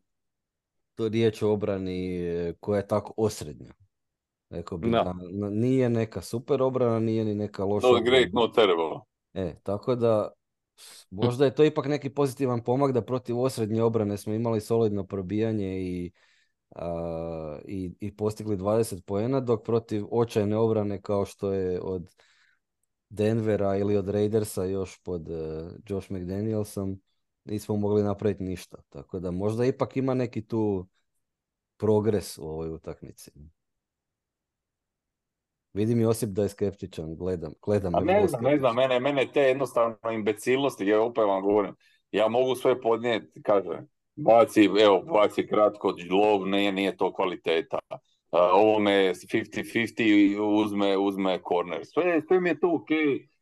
to riječ o obrani eh, koja je tako osrednja. Rekao bih Da. da n- nije neka super obrana, nije ni neka loša Not great, obrana. not terrible. E, tako da možda je to ipak neki pozitivan pomak da protiv osrednje obrane smo imali solidno probijanje i, a, i, i postigli dvadeset poena, dok protiv očajne obrane kao što je od Denvera ili od Raidersa još pod uh, Josh McDanielsom nismo mogli napraviti ništa. Tako da možda ipak ima neki tu progres u ovoj utakmici. Vidim Josip da je skeptičan, gledam, gledam A me ne vrlo znam, ne znam, skeptično. mene, mene te jednostavno imbecilnosti, ja opet vam govorim, ja mogu sve podnijeti, kaže, baci, evo, baci kratko, lov, nije, nije to kvaliteta. Uh, ovome pedeset pedeset uzme, uzme corner. Sve, sve mi je to ok,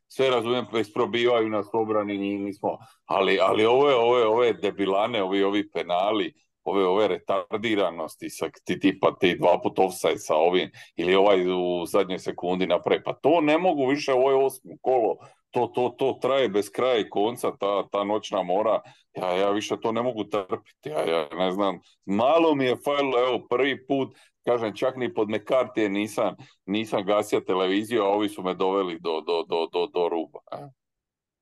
sve razumijem, isprobivaju nas obrani, nismo, ali, ali ove, ove, ove debilane, ovi, ovi penali, ove, ove retardiranosti, sa, ti, tipa ti dva put offside sa ovim, ili ovaj u zadnjoj sekundi napravi. Pa to ne mogu više, ovo je osmo kolo, to, to, to traje bez kraja i konca, ta, ta noćna mora, ja, ja više to ne mogu trpiti, ja, ja ne znam, malo mi je falilo, evo prvi put, kažem, čak ni pod McCarthy nisam, nisam gasio televiziju, a ovi su me doveli do, do, do, do, do ruba.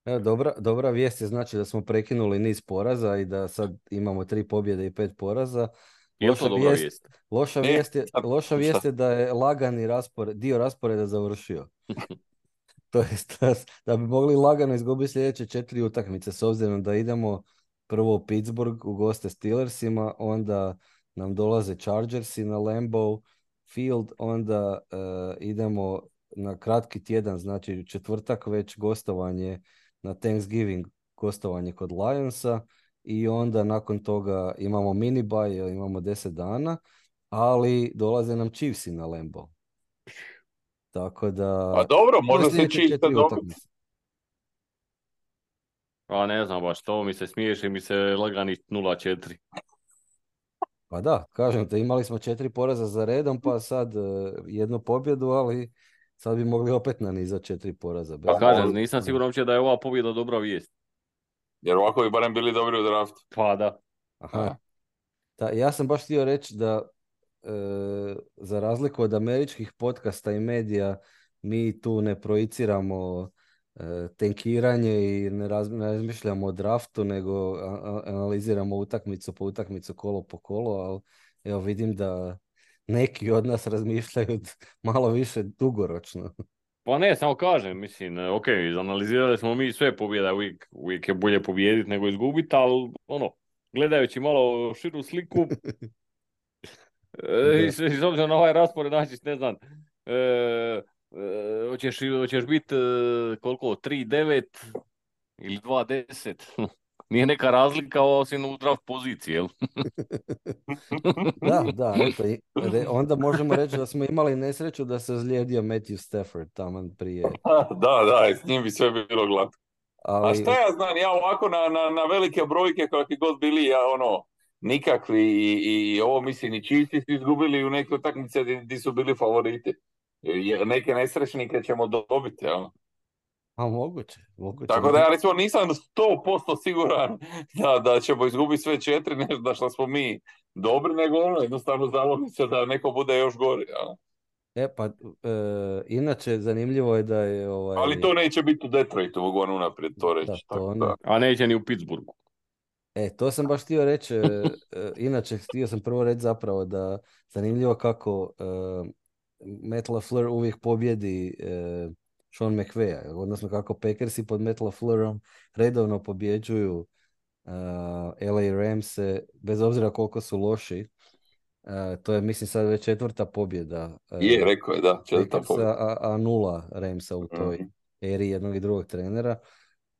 Evo, dobra, dobra vijest je znači da smo prekinuli niz poraza i da sad imamo tri pobjede i pet poraza. Je li to Loša dobra vijest, vijest? loša E, vijest je, sad, loša vijest je da je lagani raspored, dio rasporeda završio. To jest da, da bi mogli lagano izgubiti sljedeće četiri utakmice s obzirom da idemo prvo u Pittsburgh u goste Steelersima, onda nam dolaze Chargersi na Lambeau Field, onda eh, idemo na kratki tjedan, znači u četvrtak već gostovanje na Thanksgiving, gostovanje kod Lionsa i onda nakon toga imamo mini bye, jer imamo deset dana, ali dolaze nam Chiefsi na Lambeau. Tako pa da, dobro, to je može se sljedeće čiste četiri dobiti. utakmice. A ne znam baš, to mi se smiješi, mi se lagani nula četiri. Pa da, kažem te, imali smo četiri poraza za redom, pa sad e, jednu pobjedu, ali sad bi mogli opet nanizati četiri poraza. Bez Pa Kažem, možda. nisam siguran uopće da je ova pobjeda dobra vijest. Jer ovako bi barem bili dobri u draftu. Pa da. Aha. Da, ja sam baš htio reći da e, za razliku od američkih podcasta i medija, mi tu ne projiciramo e, tenkiranje i ne, raz, ne razmišljamo o draftu, nego a, a, analiziramo utakmicu po utakmicu, kolo po kolo, ali evo vidim da neki od nas razmišljaju malo više dugoročno. Pa ne, samo kažem, mislim, ok, izanalizirali smo mi sve pobjeda, uvijek, uvijek je bolje pobijediti nego izgubiti, ali ono, gledajući malo širu sliku, e, i s s obzirom na ovaj raspored, znači, ne znam, e, e, hoćeš, hoćeš biti e, koliko, tri devet ili dva deset, nije neka razlika osim u draft poziciji, jel? Da, da, eto, i- re- onda možemo reći da smo imali nesreću da se ozlijedio Matthew Stafford taman prije, Da, da, s njim bi sve bilo glatko. A ali šta ja znam, ja ovako na, na, na velike brojke kakvi god bili, ja ono, nikakvi i, i ovo mislim i Chiefsi su izgubili u neke utakmice gdje su bili favoriti. Jer neke nesrećnike ćemo dobiti, jel? a moguće, moguće. Tako da ja recimo nisam sto posto siguran da, da ćemo izgubiti sve četiri, ne da što smo mi dobri, nego ono, jednostavno zalomi se da neko bude još gori. Jel? E pa, e, inače zanimljivo je da je ovaj, Ali to neće biti u Detroitu, mogu vam unaprijed to da, reći. to Tako ne. da. A neće ni u Pittsburghu. E, to sam baš htio reći, e, e, inače htio sam prvo reći zapravo da zanimljivo kako e, Matt LaFleur uvijek pobjedi e, Sean McVaya, odnosno kako Packersi pod Matt LaFleurom redovno pobjeđuju e, L A Ramse, bez obzira koliko su loši. E, to je, mislim, sad već četvrta pobjeda Je, e, rekao je, da, četvrta Packersa, pobjeda. a, a nula Ramsa u toj Mhm. eri jednog i drugog trenera.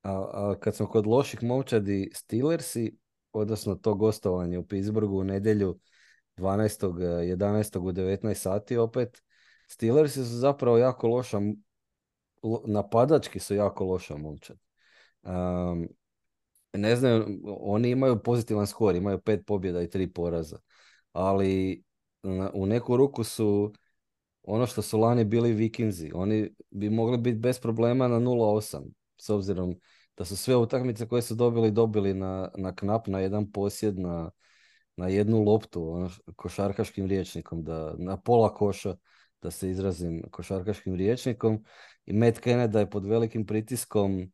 A, a kad smo kod loših momčadi, Steelersi, odnosno to gostovanje u Pittsburghu u nedjelju dvanaestog jedanaestog u devetnaest sati opet, Steelersi su zapravo jako loša, m- lo- napadački su jako loša momčad. Um, ne znam, oni imaju pozitivan skor, imaju pet pobjeda i tri poraza, ali na- u neku ruku su ono što su lani bili Vikinzi. Oni bi mogli biti bez problema na nula osam, s obzirom da su sve utakmice koje su dobili, dobili na, na knap, na jedan posjed, na, na jednu loptu, ono, š- košarkaškim rječnikom, da, na pola koša, da se izrazim košarkaškim rječnikom. I Matt Canada je pod velikim pritiskom,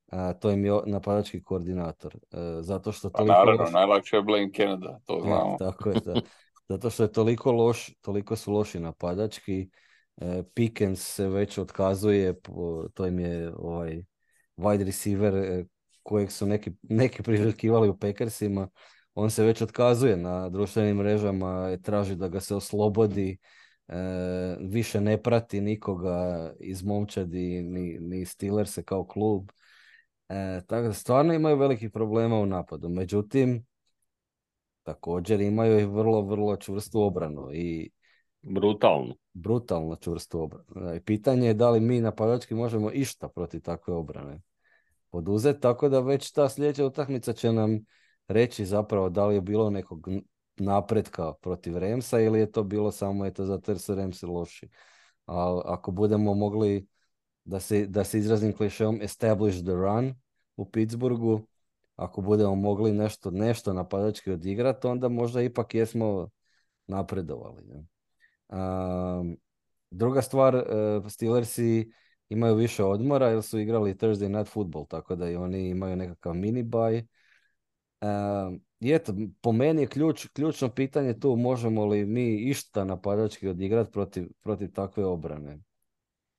a, to im je o- napadački koordinator. E, zato što Pa toliko naravno, loš. najlakše je Blaine Canada, to E, znamo. tako je, da. Zato što je toliko loš, toliko su loši napadački. E, Pickens se već otkazuje, po- to im je ovaj wide receiver e, kojeg su neki, neki priželjkivali u Packersima. On se već otkazuje na društvenim mrežama, e, traži da ga se oslobodi, e, više ne prati nikoga iz momčadi, ni, ni Steelers kao klub. E, tako da stvarno imaju velikih problema u napadu. Međutim, također imaju i vrlo, vrlo čvrstu obranu i Brutalno. brutalno čvrstu obranu. I pitanje je da li mi napadački možemo išta protiv takve obrane poduzeti, tako da već ta sljedeća utakmica će nam reći zapravo da li je bilo nekog n- napretka protiv Ramsa ili je to bilo samo eto zato jer su Ramsi loši. A ako budemo mogli, da se, da se izrazim klišeom, establish the run u Pittsburghu, ako budemo mogli nešto, nešto napadački odigrati, onda možda ipak jesmo napredovali. Ne? Um, druga stvar, uh, Steelersi imaju više odmora jer su igrali Thursday Night Football, tako da i oni imaju nekakav mini bye. Um, i eto, po meni je ključ, ključno pitanje tu možemo li mi išta napadački odigrati protiv, protiv takve obrane.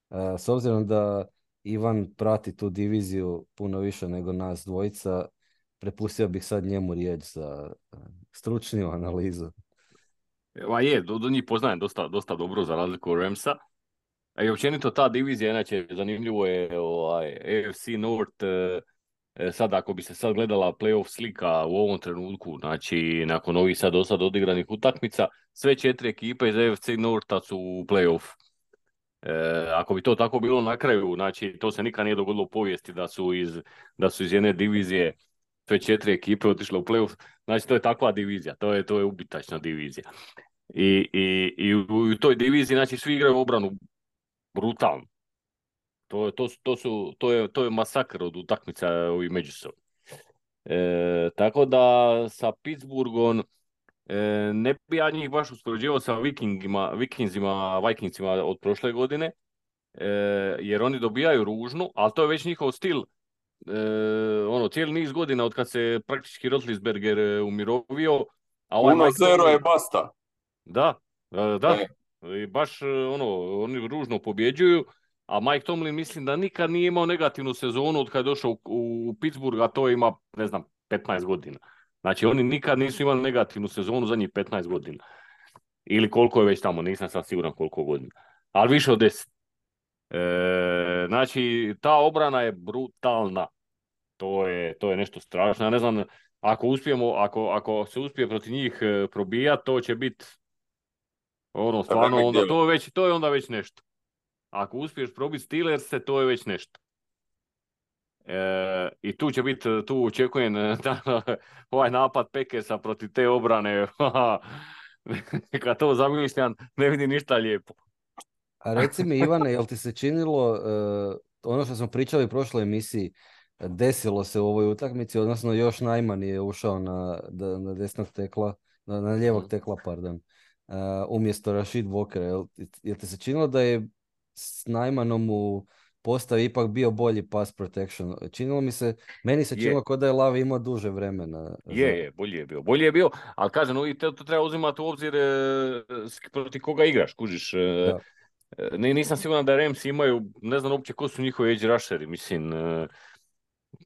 Uh, s obzirom da Ivan prati tu diviziju puno više nego nas dvojica, prepustio bih sad njemu riječ za uh, stručniju analizu. Ma je, do, do njih poznajem dosta, dosta dobro za razliku od Ramsa. A i općenito ta divizija, inače, zanimljivo je ovaj, A F C North, e, e, sad ako bi se sad gledala playoff slika u ovom trenutku, znači nakon ovih sad do sad odigranih utakmica, sve četiri ekipe iz A F C Northa su u playoff. E, ako bi to tako bilo na kraju, znači to se nikad nije dogodilo u povijesti da su iz, da su iz jedne divizije sve četiri ekipe otišle u playoff, znači to je takva divizija, to je, to je ubitačna divizija. I, i, i u, u toj diviziji, znači svi igraju obranu brutalno. To, to, su- to, su, to, je, to je masakr od utakmica ovih međusobno. E, tako da sa Pittsburghom e, ne bi ja njih baš uspoređivao sa Vikingima, Vikingsima, Vikingsima od prošle godine, e, jer oni dobijaju ružnu, ali to je već njihov stil. E, ono, cijeli niz godina od kad se praktički Roethlisberger e, umirovio, a ovaj Uno Mike zero je Tomlin, basta. da, e, da, E, i baš e, ono, oni ružno pobjeđuju, a Mike Tomlin mislim da nikad nije imao negativnu sezonu od kad je došao u, u Pittsburgh, a to ima, ne znam, petnaest godina. Znači oni nikad nisu imali negativnu sezonu zadnjih petnaest godina. Ili koliko je već tamo, nisam sad siguran koliko godina. Ali više od deset. E, znači, ta obrana je brutalna. To je, to je nešto strašno. Ja ne znam, ako uspijemo, ako, ako se uspije protiv njih e, probijati, to će biti ono, stvarno, remek onda djelo. to je već, to je onda već nešto. Ako uspiješ probiti Steelers-e, to je već nešto. E, I tu će biti, tu očekujem e, da, ovaj napad Packersa protiv te obrane. Kad to zamišljam, ne vidim ništa lijepo. A reci mi, Ivane, jel ti se činilo uh, ono što smo pričali u prošloj emisiji, desilo se u ovoj utakmici, odnosno još Najman je ušao na, da- na desnog tekla, na, na lijevog tekla, pardon, uh, umjesto Rashid Walkera. Jel, jel ti se činilo da je s Najmanom u postavi ipak bio bolji pass protection. Činilo mi se, meni se Je. činilo kao da je Lavi imao duže vremena. Je, za- je, bolje je bio. Bolje je bio, ali kažem, no, i to, to treba uzimati u obzir e, s- protiv koga igraš, kužiš. E, Da. e, ni- nisam siguran da Rams imaju, ne znam uopće ko su njihovi edge rusheri, mislim, e,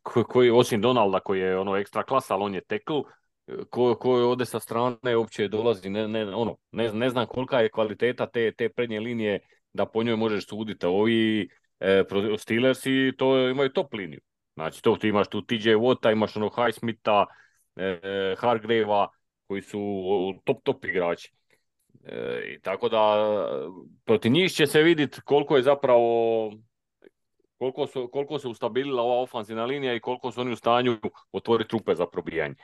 ko- koji, osim Donalda koji je ono ekstra klasa, ali on je tackle, e, ko, ko ode sa strane uopće dolazi, ne, ne, ono, ne, ne znam kolika je kvaliteta te, te prednje linije da po njoj možeš suditi. Ovi e, pro- Steelersi to imaju top liniju. Znači, to ti imaš tu T J Watta, imaš ono Highsmitha, e, Hargravea, koji su top, top igrači. E, i tako da, protiv njih će se vidjeti koliko je zapravo, koliko, su, koliko se ustabilila ova ofanzivna linija i koliko su oni u stanju otvoriti rupe za probijanje.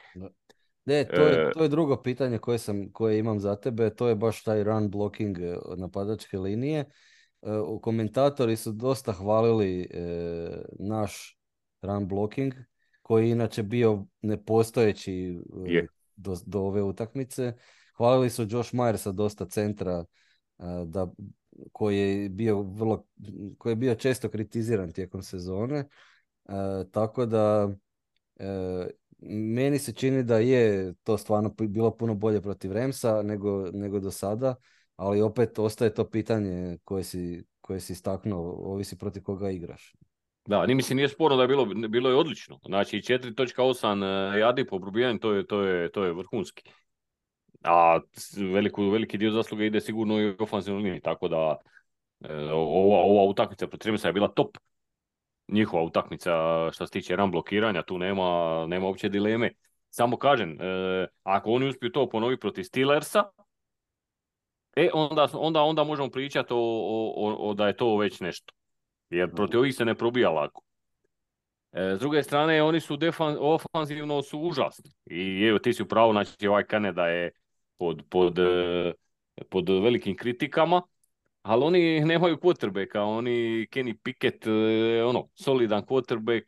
Ne, to je, E, to je drugo pitanje koje, sam, koje imam za tebe, to je baš taj run blocking e, napadačke linije. E, u- komentatori su dosta hvalili e, naš run blocking, koji je inače bio nepostojeći e, je. do, do ove utakmice. Hvalili su Josh Myersa dosta centra, e, da, koji je bio vrlo, koji je bio često kritiziran tijekom sezone. E, tako da e, meni se čini da je to stvarno pi- bilo puno bolje protiv Ramsa nego, nego do sada, ali opet ostaje to pitanje koje si, koje si istaknuo, ovisi protiv koga igraš. Da, ni mislim nije sporno da je bilo, bilo je odlično. Znači četiri točka osam yardi po probijanju, to je, to je, to je vrhunski. A s- veliku, veliki dio zasluge ide sigurno i u ofanzivnoj liniji, tako da e, ova, ova utakmica protiv Ramsa je bila top. Njihova utakmica što se tiče run blokiranja, tu nema, nema uopće dileme. Samo kažem, e, ako oni uspiju to ponoviti protiv Steelersa, e, onda, onda, onda možemo pričati o, o, o, o da je to već nešto. Jer protiv ovih se ne probija lako. E, s druge strane, oni su defan, ofanzivno su užasni. I evo, ti si u pravu, znači ovaj Kanada je pod, pod, e, pod velikim kritikama, ali oni nemaju quarterbacka, oni Kenny Pickett, e, ono, solidan quarterback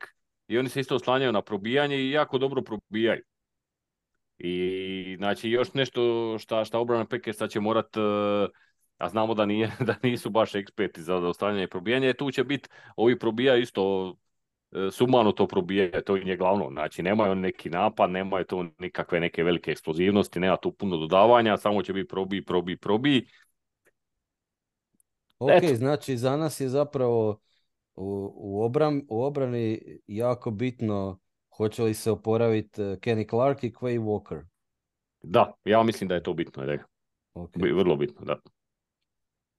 i oni se isto oslanjaju na probijanje i jako dobro probijaju. I znači još nešto šta, šta obrana Packersa će morat, e, a znamo da, nije, da nisu baš eksperti za ostavljanje i probijanje, tu će biti, ovi probija isto e, sumano to probije, to im je glavno. Znači, nemaju oni neki napad, nemaju to nikakve neke velike eksplozivnosti, nema tu puno dodavanja, samo će biti probi, probi, probi. Ok, Eto, znači za nas je zapravo u, u, obram, u obrani jako bitno hoće li se oporaviti eh, Kenny Clark i Quay Walker. da, ja mislim da je to bitno, da je Ok, bi- vrlo bitno, da.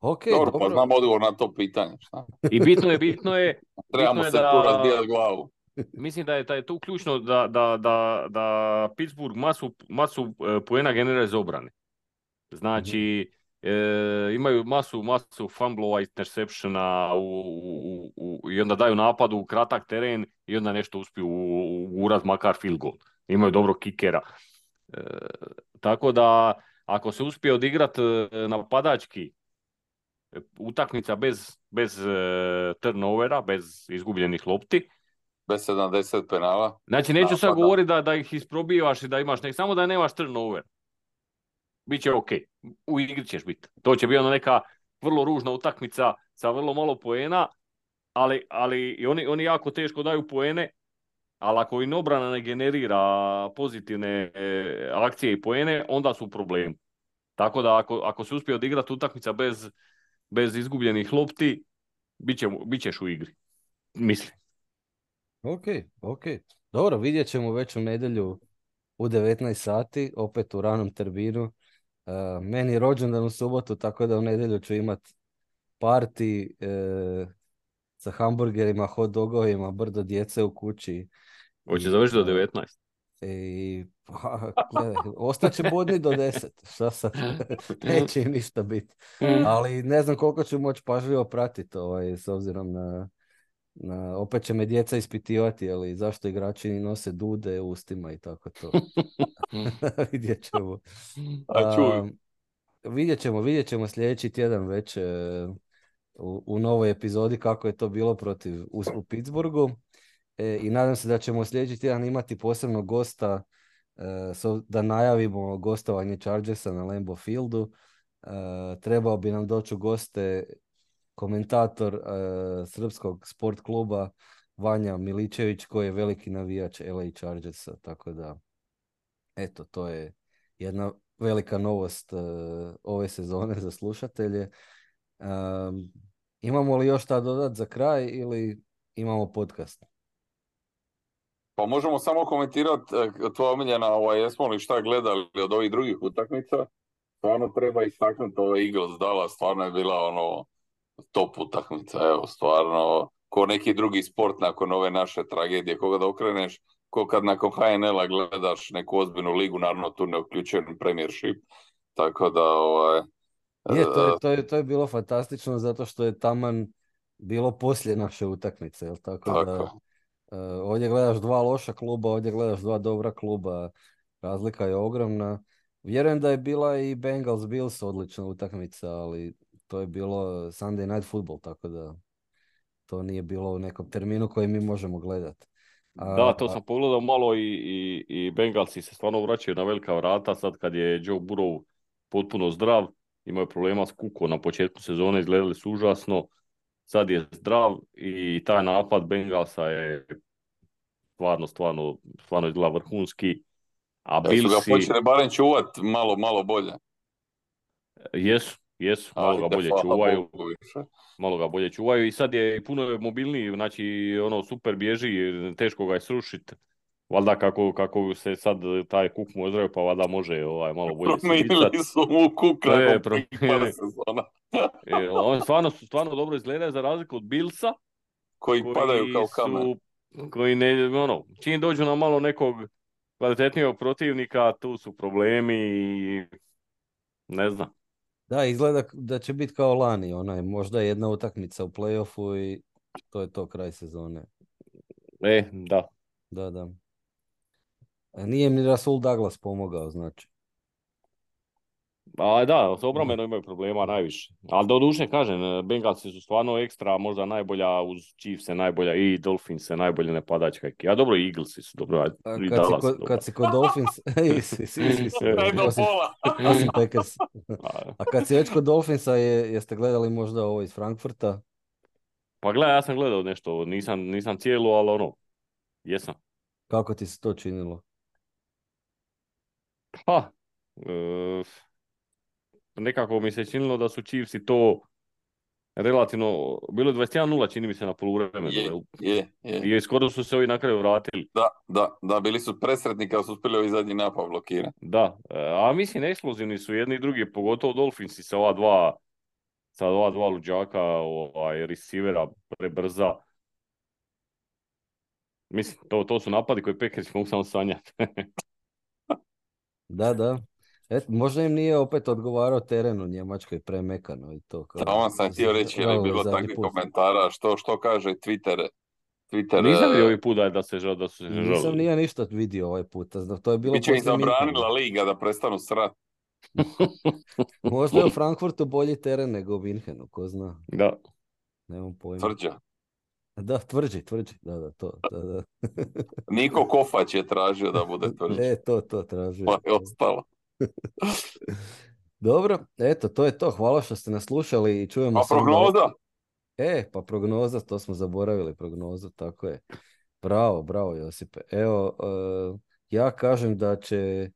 ok, Dobro, pa dobro. znam odgovor na to pitanje. Šta? I bitno je, bitno je, Trebamo bitno je se da, tu razbijati glavu. mislim da je, da je tu ključno da, da, da, da Pittsburgh masu, masu e, poena generira iz obrane. Znači, e, imaju masu, masu fumblova, interceptiona u, u, u, i onda daju napadu u kratak teren i onda nešto uspiju uraz makar field goal. Imaju dobro kikera. E, tako da, ako se uspije odigrati napadački e, utakmica bez, bez e, turnovera, bez izgubljenih lopti, Bez sedamdeset penala. znači neću sad Napada. govoriti da, da ih isprobivaš i da imaš nek, samo da nemaš turnover. Biće ok, u igri ćeš biti. To će biti ona neka vrlo ružna utakmica sa vrlo malo poena, ali, ali i oni, oni jako teško daju poene, ali ako im obrana ne generira pozitivne e, akcije i poene, onda su u problemu. Tako da ako, ako se uspije odigrati utakmica bez, bez izgubljenih lopti, bit, će, bit ćeš u igri. Mislim. Ok, ok. Dobro, vidjet ćemo već u nedjelju u devetnaest sati, opet u ranom terminu. Uh, meni je rođendan u subotu, tako da u nedjelju ću imat party e, sa hamburgerima, hot dogovima, brdo djece u kući. Hoće I, završiti do uh, devetnaest. i pa, gledaj, ostaće budni do deset. Šta sad? Neće im ništa biti. Ali ne znam koliko ću moći pažljivo pratiti ovaj, s obzirom na, na, opet će me djeca ispitivati, ali zašto igrači nose dude u ustima i tako to. Vidjet ćemo. A čuj, Um, vidjet ćemo, vidjet ćemo sljedeći tjedan već e, u, u novoj epizodi kako je to bilo protiv u, u Pittsburghu. E, I nadam se da ćemo sljedeći tjedan imati posebnog gosta e, so, da najavimo gostovanje Chargersa na Lambeau Fieldu. E, trebao bi nam doći u goste komentator uh, srpskog sport kluba Vanja Miličević, koji je veliki navijač L A Chargersa, tako da eto, to je jedna velika novost uh, ove sezone za slušatelje. Um, imamo li još šta dodat za kraj ili imamo podcast? Pa možemo samo komentirati tvoja omiljena, ovaj, jesmo li šta gledali od ovih drugih utakmica. Stvarno treba istaknuti ove Eagles Dallas, stvarno je bila ono top utakmica, evo, stvarno, ko neki drugi sport nakon ove naše tragedije, koga da okreneš, ko kad nakon H N L-a gledaš neku ozbiljnu ligu, naravno tu ne uključujem Premiership, tako da, ovaj... Je, to je, to je, to je bilo fantastično, zato što je taman bilo poslije naše utakmice, jel tako, tako. da... Uh, ovdje gledaš dva loša kluba, ovdje gledaš dva dobra kluba, razlika je ogromna. Vjerujem da je bila i Bengals Bills odlična utakmica, ali to je bilo Sunday Night Football, tako da to nije bilo u nekom terminu koji mi možemo gledati. Da, to sam pogledao malo i, i, i Bengalsi se stvarno vraćaju na velika vrata sad kad je Joe Burrow potpuno zdrav, imao je problema s kukom na početku sezone, izgledali su užasno, sad je zdrav i taj napad Bengalsa je stvarno, stvarno, stvarno izgleda vrhunski. A da su ga Billsi... počeli barem čuvat malo, malo bolje. Jesu, jesu, malo Ajde, ga bolje hvala čuvaju. Bogu više. Malo ga bolje čuvaju i sad je puno mobilniji, znači ono super bježi, teško ga je srušiti. Valjda kako, kako se sad taj kuk mu ozdravio, pa valjda može ovaj, malo bolje se Promijenili micati. su mu kuk nakon E, prvih par promijenili. sezona. E, on stvarno, stvarno dobro izgleda za razliku od Billsa, Koji koji padaju kao kamen. su, koji ne, ono, čim dođu na malo nekog kvalitetnijeg protivnika, tu su problemi i ne znam. Da, izgleda da će biti kao lani, onaj, možda jedna utakmica u play-offu i to je to, kraj sezone. E, da. Da, da. A nije mi Rasul Douglas pomogao, znači. A da, s obrambenom imaju problema najviše. Ali do duše kažem, Bengalsi su stvarno ekstra, možda najbolja uz Chiefs-e najbolja i Dolphins-e najbolje napadačka ekipa. A dobro, i Eaglesi su dobro. A I kad, si Dallas ko, su dobro. kad si kod Dolphins, isi, isi, isi, isi, Ne do osim, pola. osim Packers. A kad si već kod Dolphinsa, je, jeste gledali možda ovo iz Frankfurta? Pa gledaj, ja sam gledao nešto, nisam, nisam cijelu, ali ono, jesam. Kako ti se to činilo? Pa, e, nekako mi se činilo da su Chiefs-i to relativno, bilo je dvadeset jedan nula čini mi se na poluvremenu. Je, je, je. I skoro su se ovi na kraju vratili. Da, da, da, bili su presretni kad su uspjeli ovi zadnji napad blokirati. Da, a mislim eksplozivni su jedni i drugi, pogotovo Dolphinsi sa ova dva, sa ova dva luđaka, ovaj, receivera prebrza. Mislim, to, to su napadi koji Packers mogu samo sanjati. Da, da. Et, možda im nije opet odgovarao teren u Njemačkoj premekano i to. Kao, Tamo sam htio reći, je bilo takvih komentara, što, što kaže Twitter. Twitter Nisam vidio ovaj put da, da se žal, da su se žalili. Nisam nije ništa vidio ovaj put. To je bilo Biće im zabranila liga da prestanu srat. Možda je u Frankfurtu bolji teren nego u Minhenu, ko zna. Da. Nemam pojma. Tvrđa. Da, tvrđi, tvrđi. Da, da, to. Da, da. Niko Kofač je tražio da bude tvrđi. E, to, to tražio. Pa je ostalo. Dobro, eto, to je to. Hvala što ste nas slušali i čujemo A se. prognoza? E, pa prognoza, to smo zaboravili, prognozu, tako je. Bravo, bravo Josipe. Evo, uh, ja kažem da će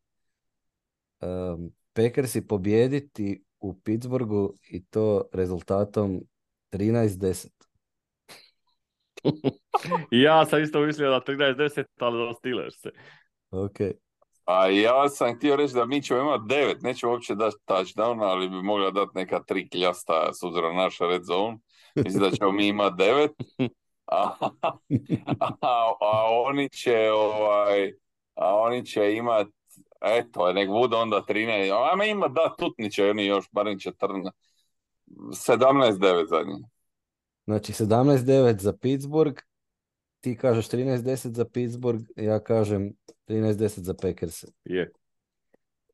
um, Packersi pobijediti u Pittsburghu i to rezultatom trinaest deset. Ja sam isto mislio da trinaest deset, ali da Steelers se. Ok. A ja sam htio reći da mi ćemo imati devet, nećemo uopće dati touchdown, ali bi mogla dati neka tri kljasta s obzirom na naš red zone. Mislim da ćemo mi imati devet. A, a, a oni će ovaj, a oni će imati, eto, nek bude onda trinaest. A ima da tutniće oni još, barem četrnaest. sedamnaest devet za njih. Znači sedamnaest devet za Pittsburgh, ti kažeš trinaest deset za Pittsburgh, ja kažem trinaest deset za Packers. Je.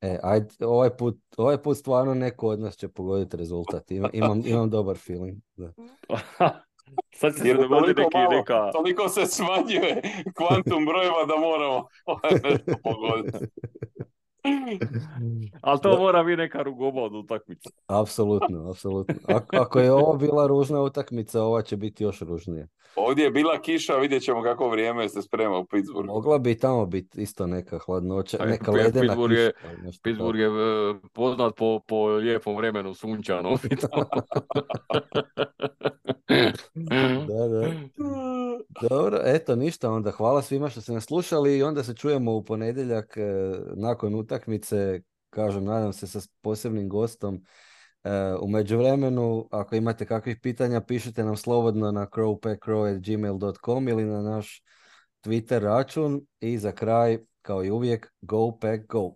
E, ajde, ovaj put, ovaj put stvarno neko od nas će pogoditi rezultat. Ima, imam, imam dobar feeling. Da. Sad će se dogoditi neki malo, neka... Toliko se smanjuje kvantum brojeva da moramo nešto pogoditi. Ali to mora biti neka rugobodna utakmica. Apsolutno, apsolutno. Ako, ako je ovo bila ružna utakmica, ova će biti još ružnija. Ovdje je bila kiša, vidjet ćemo kako vrijeme se sprema u Pittsburghu. Mogla bi tamo biti isto neka hladnoća, Aj, neka P- ledena Pittsburgh kiša. je- ali nešto Pittsburgh tako. je e, poznat po, po lijepom vremenu sunčano. Da, da. Dobro, eto ništa onda. Hvala svima što ste nas slušali i onda se čujemo u ponedjeljak e, nakon utakmice. Kažem, nadam se sa posebnim gostom. E, u međuvremenu, ako imate kakvih pitanja, pišite nam slobodno na crowpackcrow at gmail dot com ili na naš Twitter račun. I za kraj, kao i uvijek, go pack go!